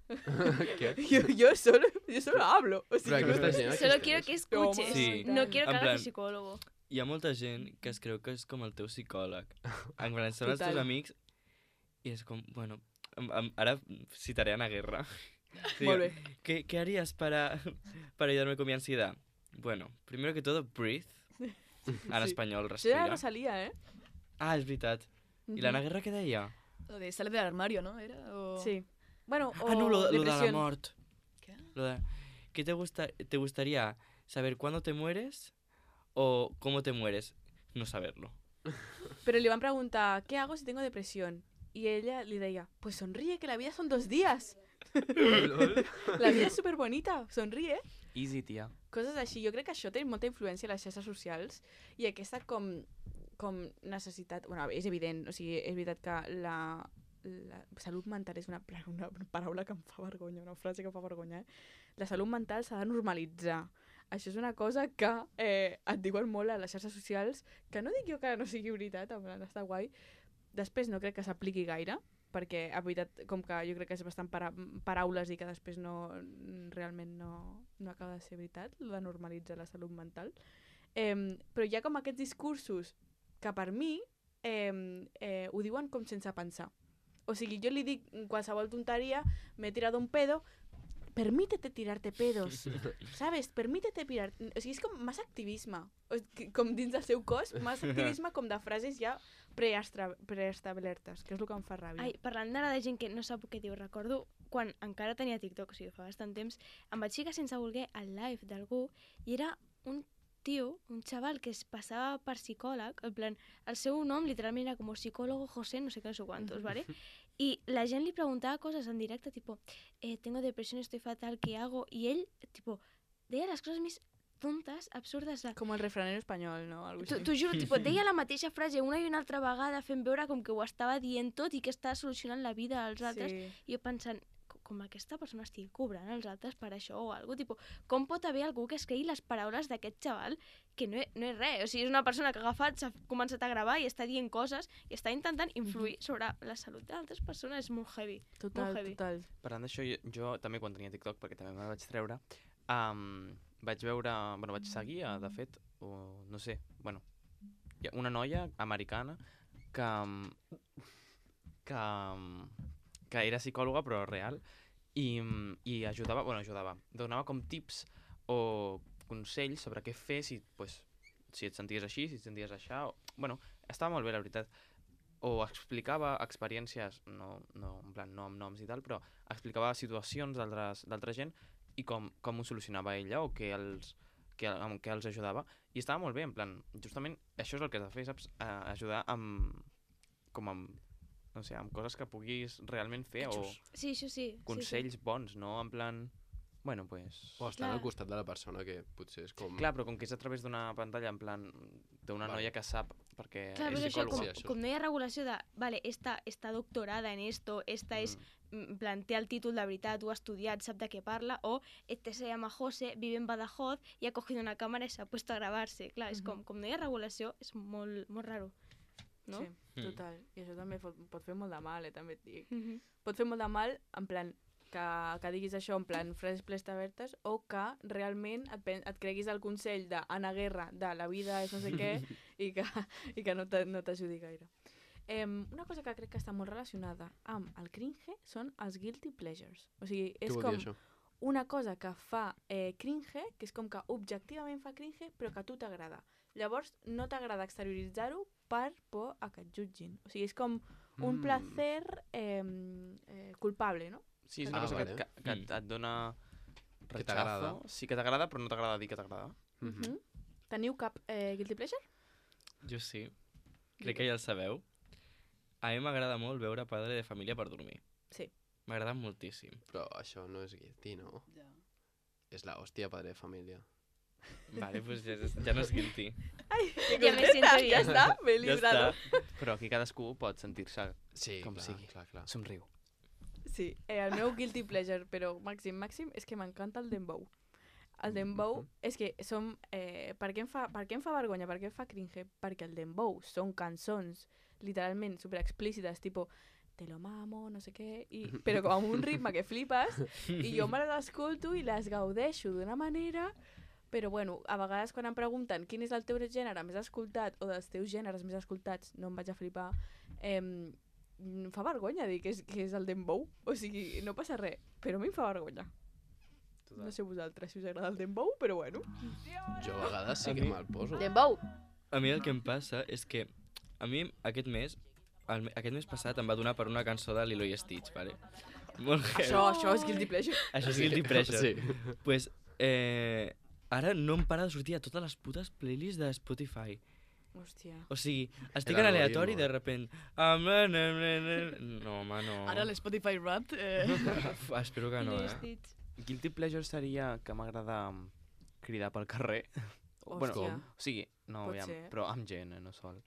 Què? Yo, yo, solo, yo solo hablo. O Però sigui, aquesta gent Solo existeix. quiero que escuches. Sí. No quiero que En hagas plan- de psicólogo. Hi ha molta gent que es creu que és com el teu psicòleg. En plan, són els Total. teus amics i és com, bueno, em- em- ara citaré a Ana Guerra. Sí, Molt bé. ¿Qué, ¿Qué harías para, para ayudarme con mi ansiedad? Bueno, primero que todo, breathe. En Sí. espanyol, Això era respira. Rosalía, eh? Ah, és veritat. I l'Anna Guerra què deia? Lo de sale del armario, ¿no? Era, o... Sí. Bueno, o Ah, no, lo, lo de la depresión. mort. ¿Qué? Lo de... ¿Qué te, gusta... te gustaría saber cuándo te mueres o cómo te mueres? No saberlo. Pero le van a preguntar, ¿qué hago si tengo depresión? Y ella le decía, pues sonríe, que la vida son dos días. La vida és superbonita, sonríe. Easy, tia. Coses així. Jo crec que això té molta influència a les xarxes socials i aquesta com, com necessitat... Bueno, és evident, o sigui, és veritat que la, la salut mental és una, una paraula que em fa vergonya, una frase que em fa vergonya. Eh? La salut mental s'ha de normalitzar. Això és una cosa que eh, et diuen molt a les xarxes socials, que no dic jo que no sigui veritat, en plan, està guai. Després no crec que s'apliqui gaire, perquè ha veritat, com que jo crec que és bastant para paraules i que després no, realment no, no acaba de ser veritat, el de normalitzar la salut mental. Eh, però hi ha com aquests discursos que per mi eh, eh, ho diuen com sense pensar. O sigui, jo li dic qualsevol tonteria, m'he tirat un pedo, permítete tirarte pedos, ¿sabes? Permítete tirar... O sigui, és com massa activisme, o sigui, com dins del seu cos, massa activisme com de frases ja preestablertes, que és el que em fa ràbia. Ai, parlant d'ara de gent que no sap què diu, recordo quan encara tenia TikTok, o sigui, fa bastant temps, em vaig ficar sense voler al live d'algú i era un tio, un xaval que es passava per psicòleg, en plan, el seu nom literalment era com psicólogo José, no sé què, no sé quantos, ¿vale? Y la gent li preguntava coses en directe, tipo, eh, tengo depresión, estoy fatal, ¿qué hago? Y ell, tipo, deia les coses més tontes, absurdes. De... Com el refranero espanyol, no? Algo T'ho juro, tipo, deia la mateixa frase una i una altra vegada fent veure com que ho estava dient tot i que estava solucionant la vida als altres. Sí. I jo pensant, com aquesta persona estigui cobrant els altres per això o alguna cosa, com pot haver algú que es cregui les paraules d'aquest xaval que no, no és res, o sigui, és una persona que ha agafat, s'ha començat a gravar i està dient coses i està intentant influir sobre la salut d'altres persones, és molt heavy. Total, molt heavy. total. Parlant d'això, jo, jo també quan tenia TikTok, perquè també me vaig treure, um, vaig veure, bueno, vaig seguir, uh, de fet, o, no sé, bueno, hi ha una noia americana que, que, que era psicòloga però real i, i ajudava, bueno, ajudava, donava com tips o consells sobre què fer si, pues, si et senties així, si et senties aixà, o, bueno, estava molt bé la veritat. O explicava experiències, no, no, en plan, no amb noms i tal, però explicava situacions d'altra gent i com, com ho solucionava ella o què els, que, amb què els ajudava. I estava molt bé, en plan, justament això és el que has de fer, saps? A, ajudar amb, com amb, no sé, amb coses que puguis realment fer o sí, això sí, consells sí, sí. bons, no? En plan, bueno, pues... O estar al costat de la persona, que potser és com... Clar, però com que és a través d'una pantalla, en plan, d'una Vale. noia que sap, perquè Clar, és però això, psicòloga. com, Sí, això. com no hi ha regulació de, vale, esta està doctorada en esto, esta és, Mm. en plan, té el títol de veritat, ho ha estudiat, sap de què parla, o este se llama José, vive en Badajoz y ha cogido una cámara y se ha puesto a grabarse. Clar, és com, com no hi ha regulació, és molt, molt raro, no? Sí, Mm. total. I això també pot, pot fer molt de mal, eh, també et dic. Mhm. Pot fer molt de mal, en plan, que, que diguis això en plan frases pleestabertes o que realment et, pen- et creguis el consell d'Anna Guerra de la vida és no sé què i que, i que no te- no t'ajudi gaire. Eh, una cosa que crec que està molt relacionada amb el cringe són els guilty pleasures. O sigui, Què és vol com dir això? una cosa que fa eh, cringe, que és com que objectivament fa cringe, però que a tu t'agrada. Llavors, no t'agrada exterioritzar-ho per por a que et jutgin. O sigui, és com un Mm. placer eh, eh, culpable, no? Sí, és Ah, una cosa vale. que, que, que et, et dona Que t'agrada. rechazo. Sí que t'agrada, però no t'agrada dir que t'agrada. Mhm. Mhm. Teniu cap eh, guilty pleasure? Jo sí. Crec que ja el sabeu. A mi m'agrada molt veure Padre de Família per dormir. Sí. M'agrada moltíssim. Però això no és guilty, no? Ja. És la hòstia padre de família. Vale, doncs ja, ja no és guilty. Ai, que Ja me siento bien. Ja està, m'he Ja librado. està. Però aquí cadascú pot sentir-se Sí, com clar, sigui. clar, clar. Somriu. Sí, eh, el meu guilty pleasure, però màxim, màxim, és que m'encanta el dembow. El dembow Mhm. és que som... Eh, per, què em fa, per què em fa vergonya? Per què em fa cringe? Perquè el dembow són cançons literalment super explícites, tipo te lo mamo, no sé què, i, però com amb un ritme que flipes, i jo me les escolto i les gaudeixo d'una manera, però bueno, a vegades quan em pregunten quin és el teu gènere més escoltat o dels teus gèneres més escoltats, no em vaig a flipar, eh, em fa vergonya dir que és, que és el dembow, o sigui, no passa res, però a mi em fa vergonya. No sé vosaltres si us agrada el dembow, però bueno. Jo a vegades sí A que mi- me'l poso. Dembow! A mi el que em passa és que a mi aquest mes, el, me- aquest mes passat em va donar per una cançó de Lilo i Stitch, vale? Molt heavy. Això, això és guilty pleasure. Això és guilty pleasure. Sí. Pues, eh, ara no em para de sortir a totes les putes playlists de Spotify. Hòstia. O sigui, estic El en aleatori algoritmo. de repent... Ah, na, na, na, na. No, home, no. Ara l'Spotify Wrapped... Eh... Uf, espero que no, Lilo i eh? Stitch. Guilty pleasure seria que m'agrada cridar pel carrer. Bueno, Hòstia. o sigui, no, Pot aviam, ser. però amb gent, eh, no sol.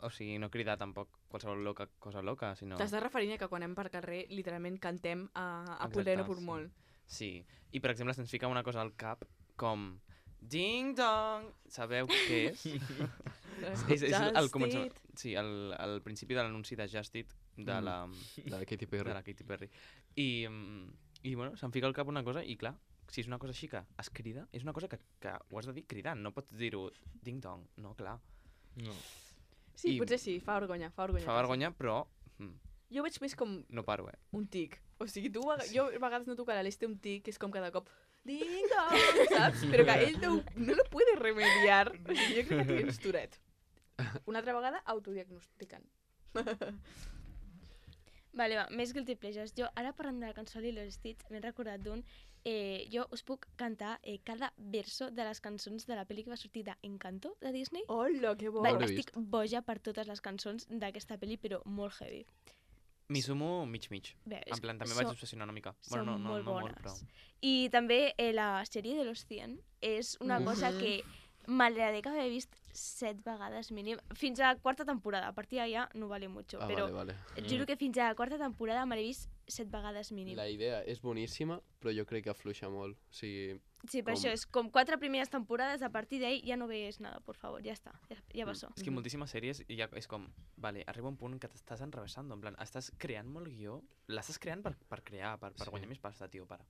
O sigui, no cridar tampoc qualsevol loca, cosa loca, sinó... T'estàs referint a que quan anem per carrer literalment cantem a, a Exacte, Polero per sí. molt. Sí, i per exemple se'ns fica una cosa al cap com Ding dong! Sabeu què és? és, és el Just començament, Eat. sí, el, el principi de l'anunci de Just Eat de Mm. la, De la Katy de Perry. la Katy Perry. I, mm, i bueno, se'm fica al cap una cosa i clar, si és una cosa així que es crida, és una cosa que, que ho has de dir cridant, no pots dir-ho ding dong, no, clar. No. Sí, I- potser sí, fa vergonya, fa vergonya. Fa vergonya, però mm, Jo veig més com no paro, eh? un tic. O sigui, tu, a- jo a vegades noto que l'Aleix té un tic, que és com cada cop ding dong, saps? Però que ell no, no lo puede remediar. O sigui, jo crec que tens Tourette. Una altra vegada, autodiagnosticant. Vale, va, més guilty pleasures. Jo, ara parlant de la cançó Lilo i Stitch, m'he recordat d'un... Eh, jo us puc cantar eh, cada verso de les cançons de la pel·li que va sortir d'Encanto, de Disney. Hola, que bo. Va, l'he estic boja per totes les cançons d'aquesta pel·li, però molt heavy. M'hi sumo mig-mig. Bé, és- En plan, també són- vaig obsessionar una mica. Són Bueno, no, no, molt no bones. molt, però... I també eh, la sèrie de los cien és una Mhm. cosa que m'agradaria que haver vist set vegades mínim. Fins a la quarta temporada. A partir d'allà no vale mucho. Ah, però vale, vale. et juro que fins a la quarta temporada me l'he vist set vegades mínim. La idea és boníssima, però jo crec que afluixa molt. O sigui, Sí, per com- això és com quatre primeres temporades, a partir d'ahí ja no veus nada, por favor, ja està, ja, ja Mm. passó. És que moltíssimes sèries ja és com, vale, arriba un punt en què t'estàs enrevessant, en plan, estàs creant molt guió, l'estàs creant per, per crear, per, per Sí. guanyar més pasta, tio, para.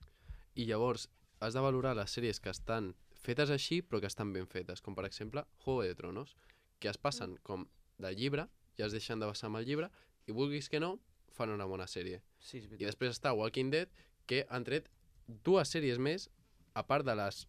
i llavors has de valorar les sèries que estan fetes així, però que estan ben fetes, com per exemple Juego de Tronos, que es passen com del llibre, ja es deixen de basar amb el llibre, i vulguis que no, fan una bona sèrie. Sí, és I veritat. després està Walking Dead, que han tret dues sèries més, a part de les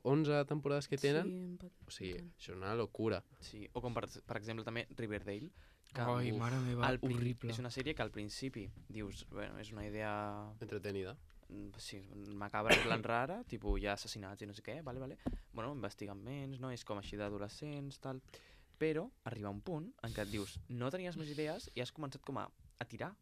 onze temporades que tenen. Sí, em pot- O sigui, tant. això és una locura. Sí, o com per, per exemple també Riverdale, que Ai, uf, mare meva, al prin- horrible. és una sèrie que al principi dius, bueno, és una idea Entretenida. mm, sí, macabra, en plan rara, tipus hi ha assassinats i no sé què, vale, vale. Bueno, investiguen menys, no? És com així d'adolescents, tal. Però arriba un punt en què et dius, no tenies més idees i has començat com a, a tirar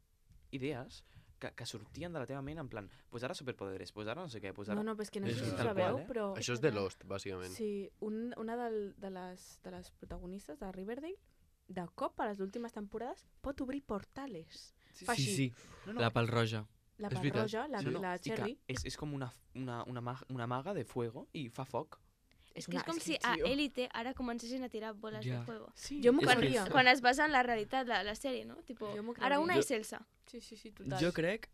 idees que, que sortien de la teva ment en plan, pues ara superpoderes, pues ara no sé què, pues ara... No, no, però és que no sé És si ho tal sabeu, qual, eh? però... Això és de Lost, bàsicament. Sí, un, una del, de, les, de les protagonistes de Riverdale, de cop a les últimes temporades, pot obrir portales. Fa Sí, així. sí, No, no, la pal roja. La És veritat. Roja, la, no, no, la i que Cherry. És, és com una, una, una, mag, una maga de fuego i fa foc. És que és com si a Élite ara comencessin a tirar boles Ja. de fuego. Sí, jo m'ho És que creuria. és- Quan es basa en la realitat, la, la sèrie, no? Tipo, Jo m'ho ara creuria. una Jo- és Elsa. Sí, sí, sí, total. Jo crec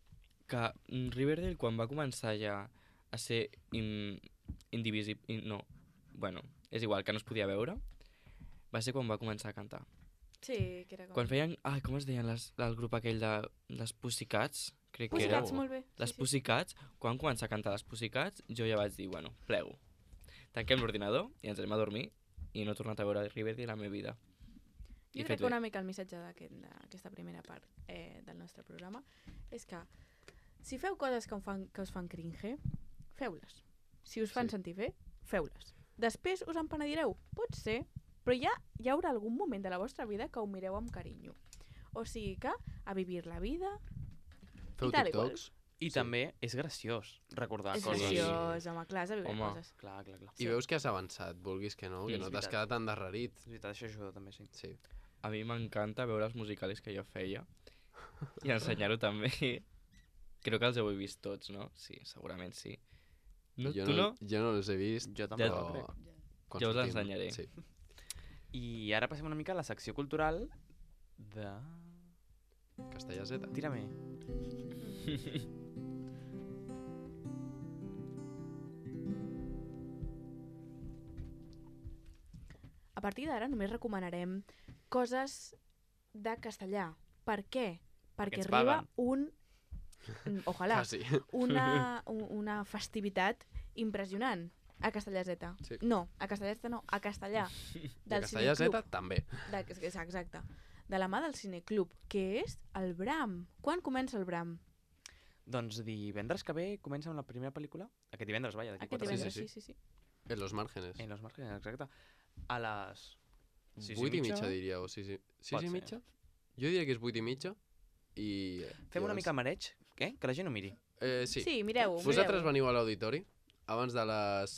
que mm, Riverdale, quan va començar ja a ser in, indivisible... In, no, bueno, és igual, que no es podia veure, va ser quan va començar a cantar. Sí, que era com... Quan feien... Ai, com es deien les, el grup aquell de les Pussycats? Crec que era. Pussycats, molt bé. Les sí, sí. Pussycats, quan començar a cantar les Pussycats, jo ja vaig dir, bueno, plego. Tanquem l'ordinador i ens anem a dormir i no he tornat a veure Riverdale a la meva vida. I Jo fet crec que bé. una mica el missatge d'aquest- d'aquesta primera part eh, del nostre programa és que si feu coses que, us fan, que us fan cringe, feu-les. Si us fan Sí. sentir bé, feu-les. Després us en penedireu? Pot ser, però ja hi haurà algun moment de la vostra vida que ho mireu amb carinyo. O sigui que a vivir la vida... Feu I tal i qual. TikToks. I Sí. també és graciós recordar és coses. graciós, home, clar, has de viure Home. coses. Clar, clar, clar. I veus que has avançat, vulguis que no, Sí, que és no t'has veritat. quedat endarrerit. És veritat, això ajuda també, sí. Sí. A mi m'encanta veure els musicalis que jo feia i ensenyar-ho també. Crec que els heu vist tots, no? Sí, segurament sí. No, jo, tu no? jo no els he vist, Jo tampoc, Ja- crec. quan Ja us sortim. ensenyaré. Sí. I ara passem una mica a la secció cultural de... Castellà Z. Tira-me. A partir d'ara només recomanarem coses de castellà. Per què? Perquè ens arriba paguen. un... Mm, Ojalà. Quasi. Una, un- una festivitat impressionant. A Castellà Z. Sí. No, a Castellà Z no, a Castellà. I a Del Castellà Cineclub. Z també. De, exacte. De la mà del Cineclub, que és el Bram. Quan comença el Bram? Doncs divendres que ve comença amb la primera pel·lícula. Aquest divendres, vaja, d'aquí Aquest quatre divendres, sí, sí, sí, sí. En los márgenes. En los márgenes, exacte. A les sis Vuit i mitja, diria, o sis i, sis Pot i ser. mitja? Jo diria que és vuit i mitja. I... Fem i una abans- mica mareig, què? Que la gent ho miri. Eh, sí. Sí, mireu-ho. Vosaltres mireu-ho. veniu a l'auditori abans de les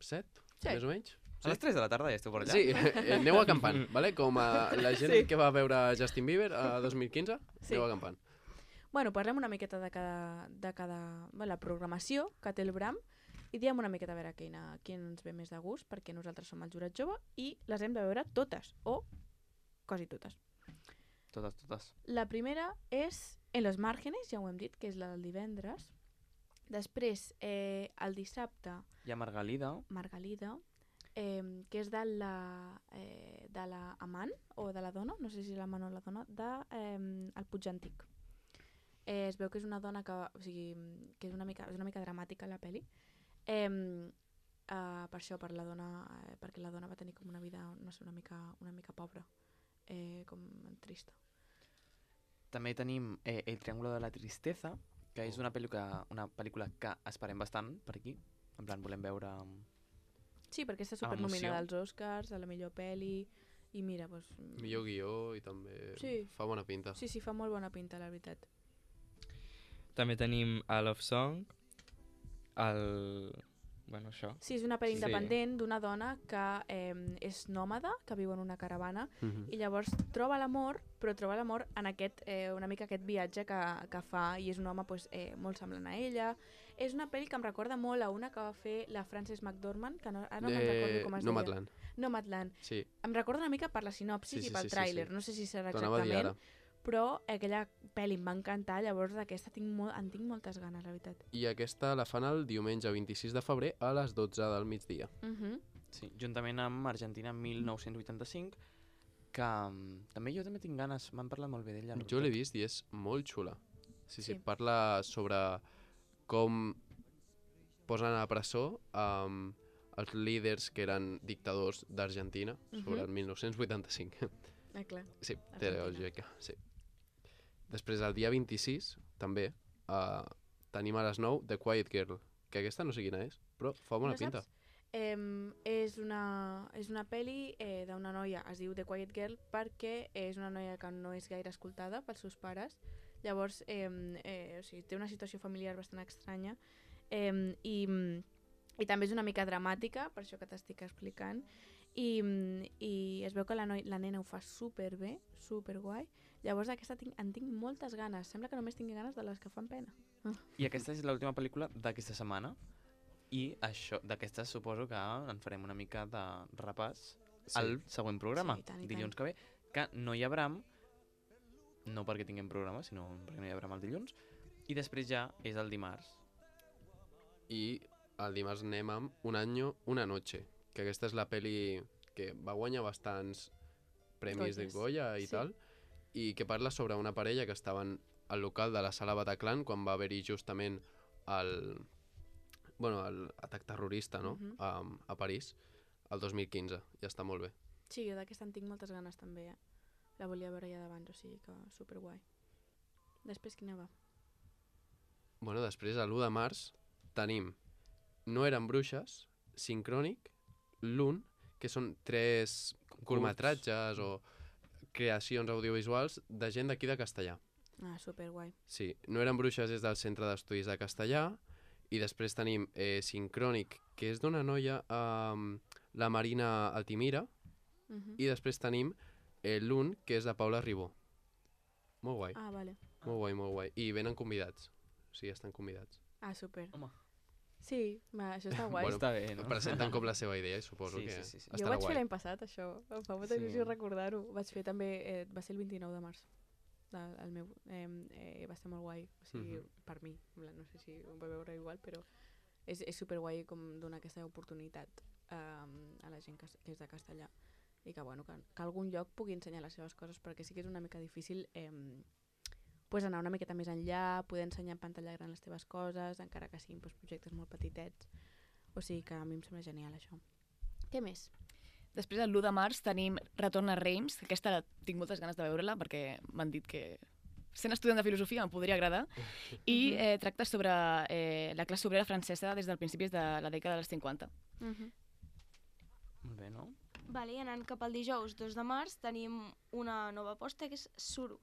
set, Sí. més o menys? A les tres de la tarda ja esteu per allà? Sí, eh, aneu acampant, vale? Com a la gent Sí. que va veure Justin Bieber a dos mil quinze, Sí. aneu acampant. Bueno, parlem una miqueta de cada, de cada bé, la programació que té el Bram i diem una miqueta a veure quina, quin ens ve més de gust, perquè nosaltres som el jurat jove i les hem de veure totes, o quasi totes. Totes, totes. La primera és En los márgenes, ja ho hem dit, que és la del divendres. Després, eh, el dissabte, Hi ha Margalida. Margalida, eh, que és de la, eh, de la amant o de la dona, no sé si és l'amant o la dona, de eh, el Puig Antic. Eh, es veu que és una dona que, o sigui, que és una mica, és una mica dramàtica la peli. Eh, uh, per això, per la dona, eh, perquè la dona va tenir com una vida, no sé, una mica, una mica pobra, eh, com trista. També tenim eh, El triángulo de la tristeza, que és una pel·lícula, una pel·lícula que esperem bastant per aquí. En plan, volem veure... Sí, perquè està Amb emoció. supernominada als Oscars, a la millor pel·li, i mira, doncs... Millor guió i també Sí. fa bona pinta. Sí, sí, fa molt bona pinta, la veritat. També tenim a Love Song, el... Bueno, això. Sí, és una pel·li Sí. independent d'una dona que eh, és nòmada, que viu en una caravana, Mhm. i llavors troba l'amor, però troba l'amor en aquest, eh, una mica aquest viatge que, que fa, i és un home pues, eh, molt semblant a ella. És una pel·li que em recorda molt a una que va fer la Frances McDormand, que no, ara no me'n recordo com es deia. Nomadland. Nomadland. Sí, Em recorda una mica per la sinopsis Sí, sí, i pel sí, sí, tràiler, sí. no sé si serà t'ho anava a dir exactament, ara. però aquella pel·li em va encantar, llavors d'aquesta tinc molt, en tinc moltes ganes, la veritat. I aquesta la fan el diumenge vint-i-sis de febrer a les dotze del migdia. Uh -huh. Sí, juntament amb Argentina mil nou-cents vuitanta-cinc, que um, també jo també tinc ganes, m'han parlat molt bé d'ella. la Jo l'he veritat. vist i és molt xula. Sí, sí, Sí. parla sobre com posen a la presó um, els líders que eren dictadors d'Argentina sobre Mhm. el mil nou-cents vuitanta-cinc. Ah, clar. Sí, té Argentina. lògica, sí. Després, el dia vint-i-sis, també, uh, tenim a les nou The Quiet Girl, que aquesta no sé quina és, però fa bona No pinta. saps? Eh, és, una, és una pel·li eh, d'una noia, es diu The Quiet Girl, perquè és una noia que no és gaire escoltada pels seus pares, llavors eh, eh, o sigui, té una situació familiar bastant estranya, eh, i, i també és una mica dramàtica, per això que t'estic explicant, i, i es veu que la, noi, la nena ho fa superbé, superguai, llavors d'aquesta tinc, en tinc moltes ganes, sembla que només tingui ganes de les que fan pena. I aquesta és l'última pel·lícula d'aquesta setmana, i això d'aquestes suposo que en farem una mica de repàs Sí. al següent programa, Sí, i tant, i dilluns que ve, que no hi ha Bram, no perquè tinguem programa, sinó perquè no hi ha Bram el dilluns, i després ja és el dimarts. I el dimarts anem amb Un año, una noche, que aquesta és la peli que va guanyar bastants premis de Goyes. Goya i Sí. tal, i que parla sobre una parella que estaven al local de la sala Bataclan quan va haver-hi justament el, bueno, el atac terrorista, no? Mhm. a, a París, el dos mil quinze. Ja està molt bé. Sí, jo d'aquesta en tinc moltes ganes també, eh? La volia veure ja d'abans, o sigui que superguai. Després quina va? Bueno, després, l'u de març, tenim No eren bruixes, Sincrònic, L'un, que són tres curtmetratges o creacions audiovisuals de gent d'aquí de Castellà. Ah, superguai. Sí, No eren bruixes és del Centre d'Estudis de Castellà, i després tenim eh, Sincrònic, que és d'una noia, eh, la Marina Altimira, Uh -huh. i després tenim eh, L'un, que és de Paula Ribó. Molt guai, Ah, vale. molt guai, molt guai. I venen convidats, o sigui, estan convidats. Ah, super. Home. Sí, va, això està guai. Bueno, Està bé, no? Presenten com la seva idea i suposo Sí, que sí, sí, sí. Jo ho estarà vaig guai. fer l'any passat, això. Em fa molta Sí. il·lusió recordar-ho. Vaig fer també, eh, va ser el vint-i-nou de març. El, el meu, eh, eh, va ser molt guai, o sigui, Mhm. per mi. En plan, no sé si ho va veure igual, però és, és superguai com donar aquesta oportunitat eh, a la gent que, que és de castellà i que, bueno, que, que algun lloc pugui ensenyar les seves coses, perquè sí que és una mica difícil eh, pues anar una miqueta més enllà, poder ensenyar en pantalla gran les teves coses, encara que siguin pues, projectes molt petitets. O sigui que a mi em sembla genial això. Què més? Després, el l'u de març, tenim Retorn a Reims, que aquesta tinc moltes ganes de veure-la perquè m'han dit que sent estudiant de filosofia em podria agradar, i eh, tracta sobre eh, la classe obrera francesa des del principis de la dècada dels cinquanta. Uh -huh. Molt bé, no? Vale, i anant cap al dijous dos de març tenim una nova aposta que és Suro.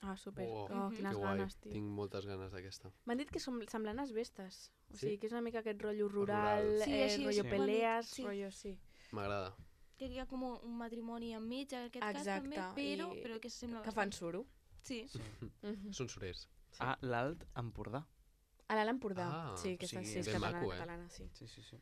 Ah, super. Oh, Oh, quines que guai. ganes, tio. Tinc moltes ganes d'aquesta. M'han dit que són semblant a Asbestes. O Sí? sigui, que és una mica aquest rotllo rural, Rural. Sí, eh, així és, rotllo sí. pelees, Sí. rotllo sí. M'agrada. Que hi ha com un matrimoni enmig, en aquest Exacte, cas també, però, i però que sembla Que fan bastant. suro. Sí. Mhm. Són surers. A l'Alt Empordà. A l'Alt Empordà. Ah, sí, que o sigui, sí, és ben catalana, maco, eh? catalana, sí. Sí, sí, sí.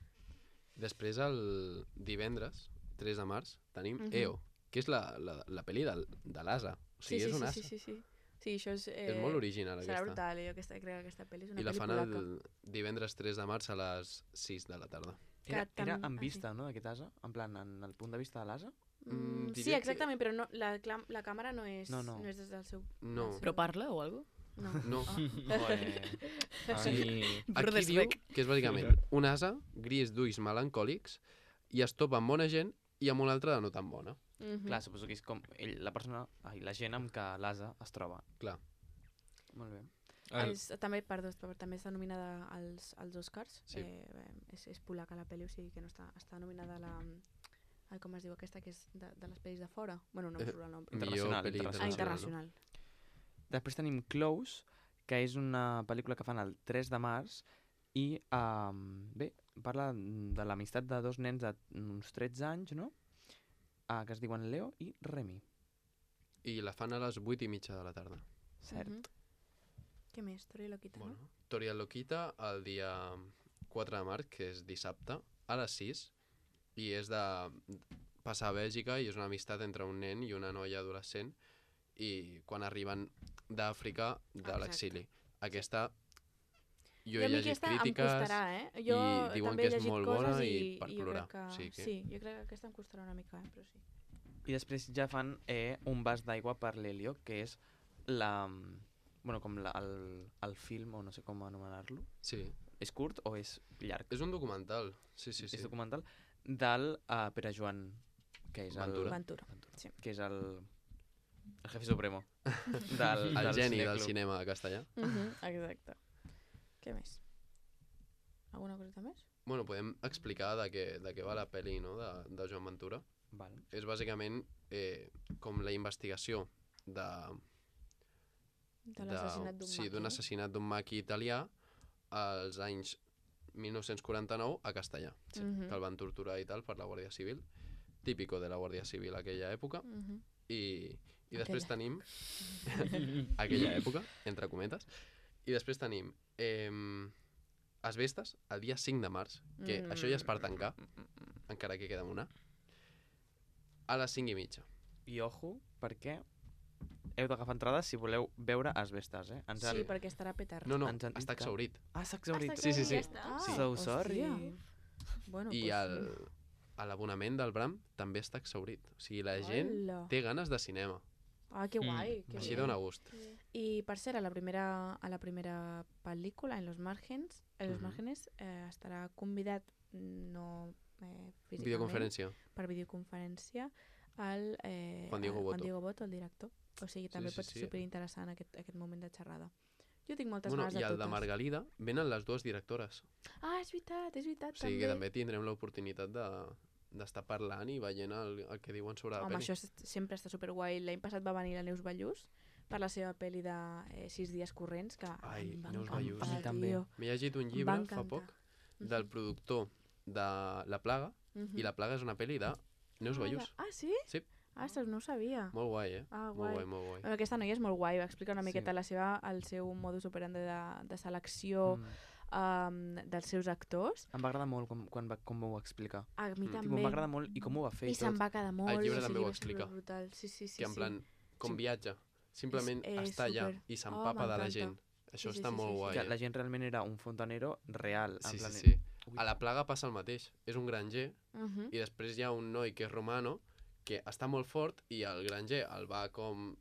Després, el divendres, tres de març, tenim Mhm. E O, que és la, la, la pel·li del, de l'Asa. O sigui, sí, és sí, un sí, asa. sí, sí, sí. Sí, això és... Eh, És molt original, serà aquesta. brutal, jo aquesta, crec que aquesta pel·li és una I la pel·li fan polaca. el divendres tres de març a les sis de la tarda. Era, Que era tam- en ah, vista, no, d'aquest asa? En plan, en el punt de vista de l'asa? Mm, Mm, sí, diria que- exactament, però no, la, clam- la càmera no és, No, no. no és des del seu... No. del seu- Però parla o alguna No. No. Joder. A mi... Aquí diu que és bàsicament un asa gris d'ulls melancòlics i es topa amb bona gent i amb una altra de no tan bona. Mhm. Clar, suposo que és com ell, la persona, ai, la gent amb què l'asa es troba. Clar. Molt bé. El... És, també, perdó, però també està nominada als, als Oscars. Sí. Eh, eh, és, és polaca la pel·li, o sigui que no està, està nominada a la... Ai, com es diu aquesta, que és de, de les pel·lis de fora? Bueno, no em Eh, surt el nom. Però... Internacional, Millor pel·li Ah, internacional, internacional. internacional. Després tenim Close, que és una pel·lícula que fan el tres de març i, um, bé, parla de l'amistat de dos nens d'uns tretze anys, no? Uh, que es diuen Leo i Remy. I la fan a les vuit i mitja de la tarda. Cert. Mhm. Què més? Tori Loquita, Bueno, no? Tori el Loquita el dia quatre de març, que és dissabte, a les sis, i és de passar a Bèlgica i és una amistat entre un nen i una noia adolescent i quan arriben d'Àfrica de Exacte. l'exili. Aquesta jo I he a mi llegit aquesta crítiques em costarà, eh? Jo i diuen també que he és llegit molt coses bona i, i per i jo plorar. crec que... O sigui que- Sí, jo crec que aquesta em costarà una mica, eh? Però sí. I després ja fan eh, un vas d'aigua per l'Helio, que és la... Bueno, com la, el, el film, o no sé com anomenar-lo. Sí, És curt o és llarg? és un documental. Sí, sí, sí. És documental del uh, Pere Joan, que és Ventura. el... Ventura. Sí. Que és el... El jefe supremo. Del, El del geni del cineclub. cinema castellà. Mhm, exacte. Què més? Alguna coseta més? Bueno, podem explicar de què, de què va la pel·li, no?, de, de Joan Ventura. Val. És bàsicament eh, com la investigació de... De l'assassinat d'un sí, maqui. d'un assassinat d'un maqui italià als anys mil nou-cents quaranta-nou a Castellà, Sí. Mhm. que el van torturar i tal per la Guàrdia Civil, típico de la Guàrdia Civil aquella època, Mhm. i, i després Aquella. tenim aquella època, entre cometes, i després tenim eh, Asbestes el dia cinc de març, que Mm. això ja és per tancar, encara que queda una, a les cinc i mitja. I ojo, perquè heu d'agafar entrades si voleu veure Asbestes, eh? Ens Sí, han... perquè estarà petarda. No, no, Ens han dit està que- exhaurit. Ah, s'ha exhaurit. està Sí, sí, sí. Ja està. Ah, So hòstia. sorry. Bueno, I pues, el, a l'abonament del Bram també està exhaurit. O sigui, la gent Hola. té ganes de cinema. Ah, que Mm. guai. Que Així bé. dona gust. I per cert, a la primera, a la primera pel·lícula, en Los Márgenes, en Los Mhm. Márgenes eh, estarà convidat, no eh, físicament, Videoconferència. per videoconferència, el eh, Juan Diego el Boto. Juan Diego Boto, el director. O sigui, també sí, pot ser sí. superinteressant aquest, aquest moment de xerrada. Jo tinc moltes Bueno, ganes de I el totes. de Margalida venen les dues directores. Ah, és veritat, és veritat, O sigui també. que també tindrem l'oportunitat de d'estar parlant i veient el, el que diuen sobre la Home, pel·li. això és, sempre està superguai. L'any passat va venir la Neus Ballús per la seva pel·li de eh, Sis dies corrents, que Ai, em va Neus encantar, Ballús. A mi també. tio. M'he llegit un Em va llibre fa encantar. poc del productor de La Plaga, Mhm. i La Plaga és una pel·li de Neus Ah, Ballús. Ah, sí? Sí. Ah, ostres, no ho sabia. Molt guai, eh? Ah, Molt guai. guai, molt guai. Bueno, aquesta noia és molt guai, va explicar una Sí. miqueta la seva, el seu modus operandi de, de selecció Mm. um, dels seus actors. Em va agradar molt com, quan va, com ho va explicar. A mi Mm. també. Tipo, em va agradar molt i com ho va fer I i se'n tot. va quedar molt. llibre i també ho va ser explica. Brutal. Sí, sí, sí. que en sí. plan, com Sí. viatja. Simplement És- és està allà super. i Oh, s'empapa de la m'encanta. gent. Això Sí, sí, està sí, molt sí, sí. guai, Que eh? la gent realment era un fontanero real. en Sí, plan... sí, sí. Ui. A La Plaga passa el mateix. És un granger Mhm. i després hi ha un noi que és romano que està molt fort i el granger el va com...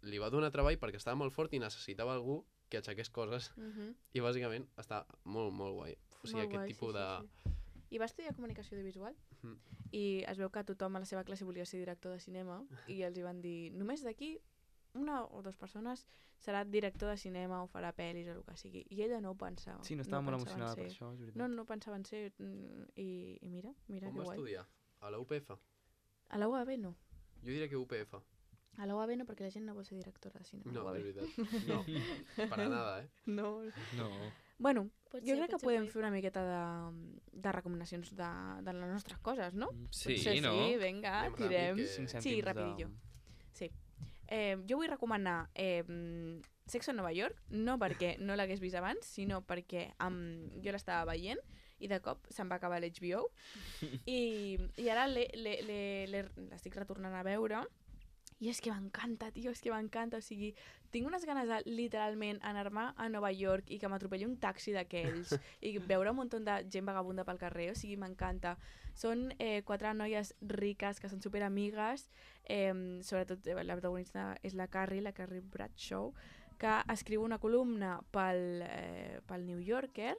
li va donar treball perquè estava molt fort i necessitava algú que aixequés coses Mhm. i bàsicament està molt, molt guai. O sigui, Molt aquest guai, tipus sí, de, sí, sí. I va estudiar comunicació audiovisual. Mhm. I es veu que tothom a la seva classe volia ser director de cinema i els hi van dir, només d'aquí una o dues persones serà director de cinema o farà pel·lis o el que sigui. I ella no ho pensava. Sí, no estava molt pensava en emocionada per ser- això, és veritat. No, no pensava en ser... I, i mira, mira On que va guai. estudiar? A la U P F? A la U A B no. Jo diria que U P F. A la U A B no, perquè la gent no vol ser directora de cinema. No, a la U A B. és veritat. No, para nada, eh? No. No. Bueno, Pot jo ser, crec que pot ser podem guai. fer una miqueta de, de recomanacions de, de les nostres coses, no? Sí, Potser no? Sí, vinga, Anem tirem. ràpid, que- Cinc Sí, cèntims de- rapidillo. Sí. Eh, jo vull recomanar eh, Sexo en Nova York, no perquè no l'hagués vist abans, sinó perquè um, jo l'estava veient i de cop se'm va acabar l'H B O i, i ara l'he- l'he- l'he- l'he- l'estic retornant a veure i és que m'encanta, tio, és que m'encanta. O sigui, tinc unes ganes de literalment anar-me a Nova York i que m'atropelli un taxi d'aquells i veure un munt de gent vagabunda pel carrer. O sigui, m'encanta. Són eh, quatre noies riques que són superamigues. Eh, sobretot eh, la protagonista és la Carrie, la Carrie Bradshaw, que escriu una columna pel, eh, pel New Yorker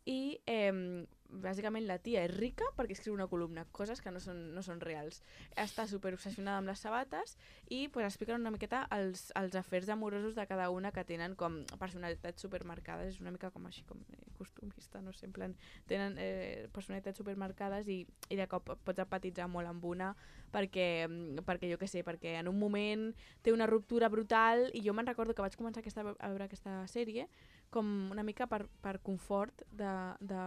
i eh, bàsicament la tia és rica perquè escriu una columna, coses que no són, no són reals. Està super obsessionada amb les sabates i pues, expliquen una miqueta els, els afers amorosos de cada una que tenen com personalitats supermarcades. És una mica com així, com eh, costumista, no sé, en plan, tenen eh, personalitats supermarcades i, i de cop pots empatitzar molt amb una perquè, perquè jo què sé, perquè en un moment té una ruptura brutal i jo me'n recordo que vaig començar aquesta, a veure aquesta sèrie com una mica per, per confort de, de,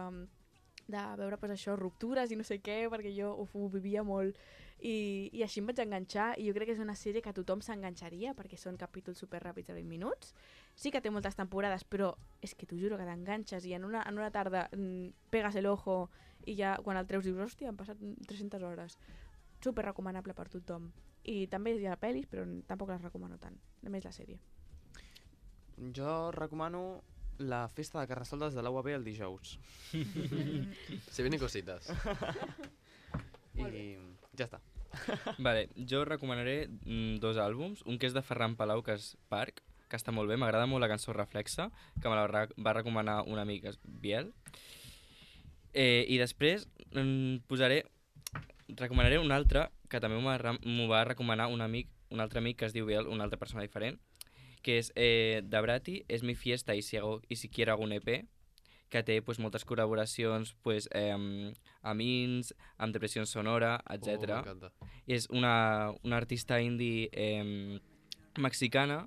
de veure pues, això, ruptures i no sé què, perquè jo ho, ho vivia molt i, i així em vaig enganxar i jo crec que és una sèrie que tothom s'enganxaria perquè són capítols super ràpids de vint minuts. Sí que té moltes temporades, però és que t'ho juro que t'enganxes i en una, en una tarda mm, pegas el ojo i ja quan el treus dius, hòstia, han passat tres-centes hores. Super recomanable per tothom. I també hi ha pel·lis, però tampoc les recomano tant. Només la sèrie. Jo recomano la festa de Carnestoltes de l'U A B el dijous. Se vienen cositas. I ja està. Vale, jo recomanaré mm, dos àlbums. Un que és de Ferran Palau, que és Parc, que està molt bé. M'agrada molt la cançó Reflexa, que me la va va recomanar un amic, és Biel. Eh, I després mm, posaré... Recomanaré un altre, que també m'ho va, m'ho va recomanar un amic, un altre amic que es diu Biel, una altra persona diferent, que és eh, de Brati, És mi fiesta y si, hago, y si quiero hago un E P, que té pues, moltes col·laboracions pues, eh, amb Ins, amb Depressió Sonora, etcètera. Oh, m'encanta. És una, una artista indie eh, mexicana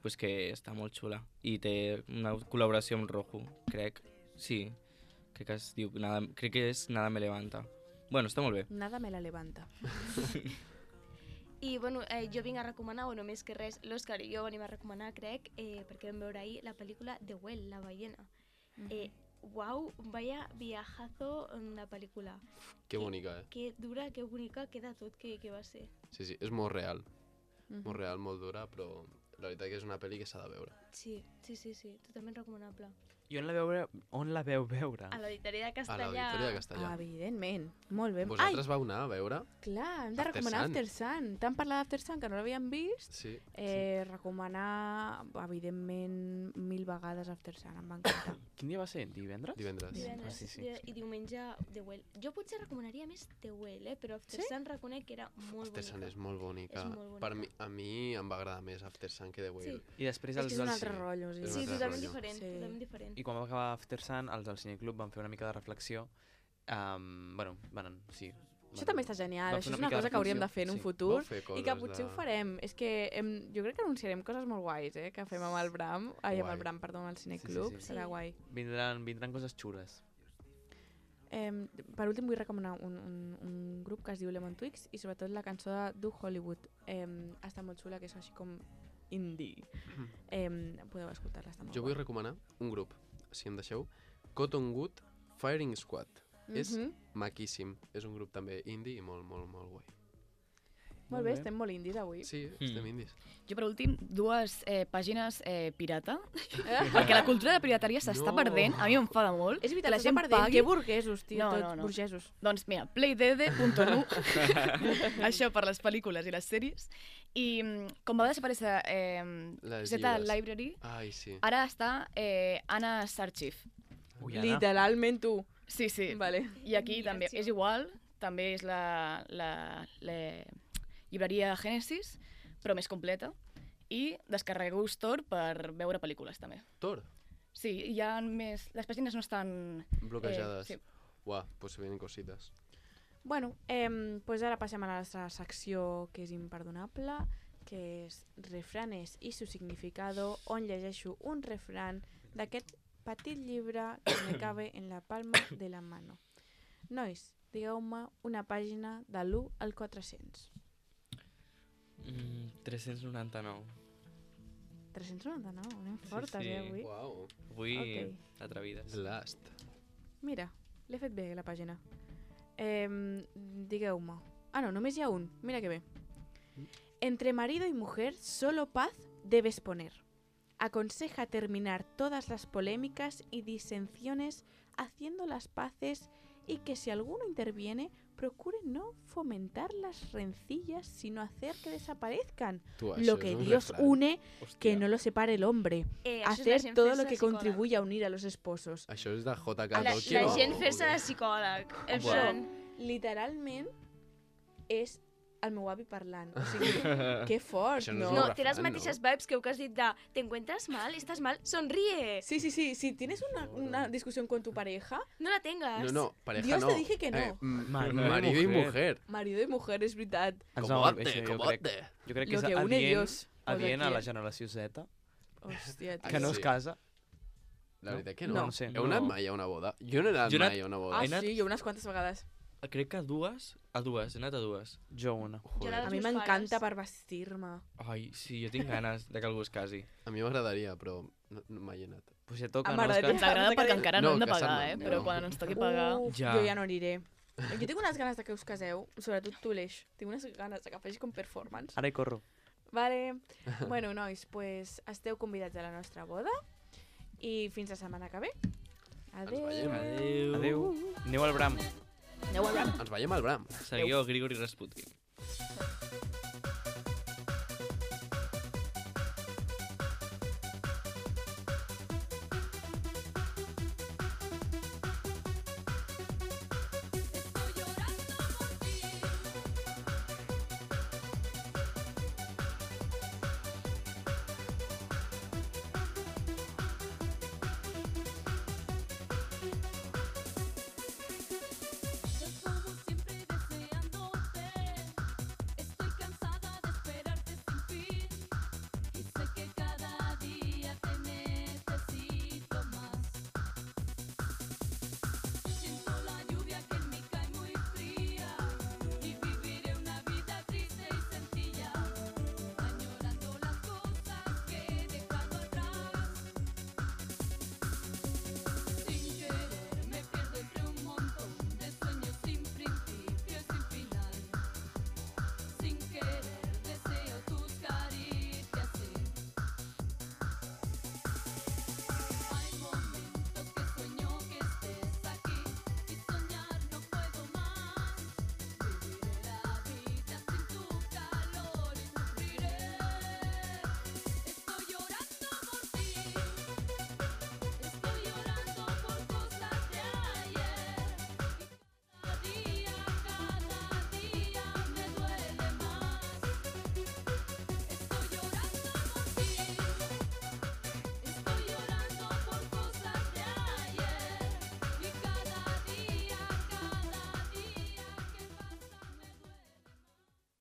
pues, que està molt xula i té una col·laboració amb Rojo, crec. Sí, crec que es diu nada, crec que és Nada me levanta. Bueno, està molt bé. Nada me la levanta. I bueno, eh, jo vinc a recomanar, o només que res, l'Òscar i jo venim a recomanar, crec, eh, perquè vam veure ahir la pel·lícula The Whale, la ballena. Eh, Wow, vaya viajazo en la pel·lícula. Que bonica, eh? Que dura, que bonica, queda tot que, que va ser. Sí, sí, és molt real. Mhm. Molt real, molt dura, però la veritat que és una pel·li que s'ha de veure. Sí, sí, sí, sí, totalment recomanable. I on la, veure, on la veu veure? A l'Auditori de A Castellà. l'Auditori de Castellà. Ah, evidentment. Molt bé. Vosaltres vau anar a veure? Clar, hem de After recomanar Sun. After Sun. T'han parlat d'After Sun, que no l'havíem vist. Sí. Eh, recomanar, evidentment, mil vegades After Sun. Em va encantar. Quin dia va ser? Divendres? Divendres. Divendres, Ah, sí, sí. i diumenge The Well. Jo potser recomanaria més The Well, eh? Però After Sí? Sun reconec que era molt After Sun bonica. és molt bonica. És molt Per mi, bonica. a mi em va agradar més After Sun que The Whale. I després És els que és un del altre cine. rotllo. Sí, És un Sí, altre totalment rotllo. diferent, Sí. totalment diferent. I quan va acabar After Sun, els del Cineclub van fer una mica de reflexió. Um, bueno, van, sí. Això també està genial. van Això fer és una una mica de cosa que hauríem de reflexió, fer en un sí. futur Vau fer i que coses potser de- ho farem. És que em, jo crec que anunciarem coses molt guais, eh? Que fem amb el Bram. Ai, amb Guai. el Bram, perdó, amb el Cineclub. Sí, sí, sí. Serà guai. Vindran, vindran coses xures. Eh, per últim vull recomanar un, un, un grup que es diu Lemon Twigs i sobretot la cançó de Do Hollywood. Eh, està molt xula, que és així com indie. Eh, podeu escoltar-la, està molt Jo vull guai. recomanar un grup, si em deixeu, Cottonwood Firing Squad. És Mhm. maquíssim. És un grup també indie i molt, molt, molt guai. Molt bé, estem molt indies avui. Sí, Mm. estem indis. Jo, per últim, dues eh, pàgines eh, pirata, perquè la cultura de pirateria s'està No. perdent, a mi m'enfada molt. És veritat, que la s'està gent perdent. pagui... Que burguesos, tio, No, tots no, no. burgesos. Doncs mira, playdede punt nu, això per les pel·lícules i les sèries, i mm, com va desaparèixer eh, Les Z llibres. Library, Ai, sí. ara està eh, Anna's Archive. Ui, Anna. Literalment, tu. Sí, sí. Vale. I aquí també és igual, també és la, la, la llibreria Genesis, però més completa, i descarregueu-vos Tor per veure pel·lícules també. Tor? Sí, hi ha més... Les pàgines no estan... Bloquejades. Eh, sí. Uah, pues se vienen cositas. Bueno, eh, pues ara passem a la nostra secció que és imperdonable, que és refranes i su significado, on llegeixo un refran d'aquest petit llibre que me cabe en la palma de la mano. Nois, digueu-me una pàgina de l'u al quatre-cents. Mm, tres-cents noranta-nou. tres-cents noranta-nou, anem fortes, sí. eh, avui. Uau. Avui, Ok. atrevides. Last. Mira, l'he fet bé, la pàgina. Eh, digueu-me. Ah, no, només hi ha un. Mira que bé. Entre marido y mujer solo paz debes poner. Aconseja terminar todas las polémicas y disensiones haciendo las paces y que si alguno interviene, procure no fomentar las rencillas, sino hacer que desaparezcan. Tu, Lo això que és un Dios refrán. une, Hòstia. que no lo separe el hombre. Eh, això és la Hacer gent todo fent-se lo que psicòleg. contribuye a unir a los esposos. Això és de J K. La, Tolkien. la o- gent o fer-se què? de psicòleg. En Això, plan... literalment, és el meu avi parlant. O sigui, que fort, Això no no? és No, un té les refrán, mateixes no? vibes que heu que has dit de ¿te encuentras mal? ¿Estás mal? ¡Sonríe! Sí, sí, sí. Si tienes una, una discusión con tu pareja, No la tengas. No, no, pareja Dios no. te dije que no. Eh, m- Marido y marido y mujer. mujer. marido i mujer, és veritat. Ens Com va- bote, això com jo crec, bote. jo crec que Lo és que une adient, Dios. adient a Aquí. la generació Z, Hòstia, Ah, que no sí. es casa. La No? veritat que no. No. No sé. Heu anat No. mai a una boda? Jo no he anat Jo he anat- mai a una Ah, boda. He anat- sí, jo unes quantes vegades. Crec que a dues, a dues, he anat a dues. Jo una. Jo Joder. la- A Els mi meus m'encanta pares. per vestir-me. Ai, sí, jo tinc ganes de que algú es casi. A mi m'agradaria, però no, no mai he anat. Pues ja toca, Ah, no? És m'agradaria. Ens agrada perquè encara no, No, hem de casar pagar, no, eh? no. Però quan ens toqui pagar... Uf, Ja. jo ja no aniré. Jo tinc unes ganes de que us caseu, sobretot tu, l'Eix. Tinc unes ganes de que facis com performance. Ara hi corro. Vale. Bueno, nois, pues esteu convidats a la nostra boda i fins la setmana que ve. Adéu. veiem. Adéu. Adéu. Aneu al Bram. Aneu al Bram. Ens veiem al Bram. Seguiu a Grigori Rasputin.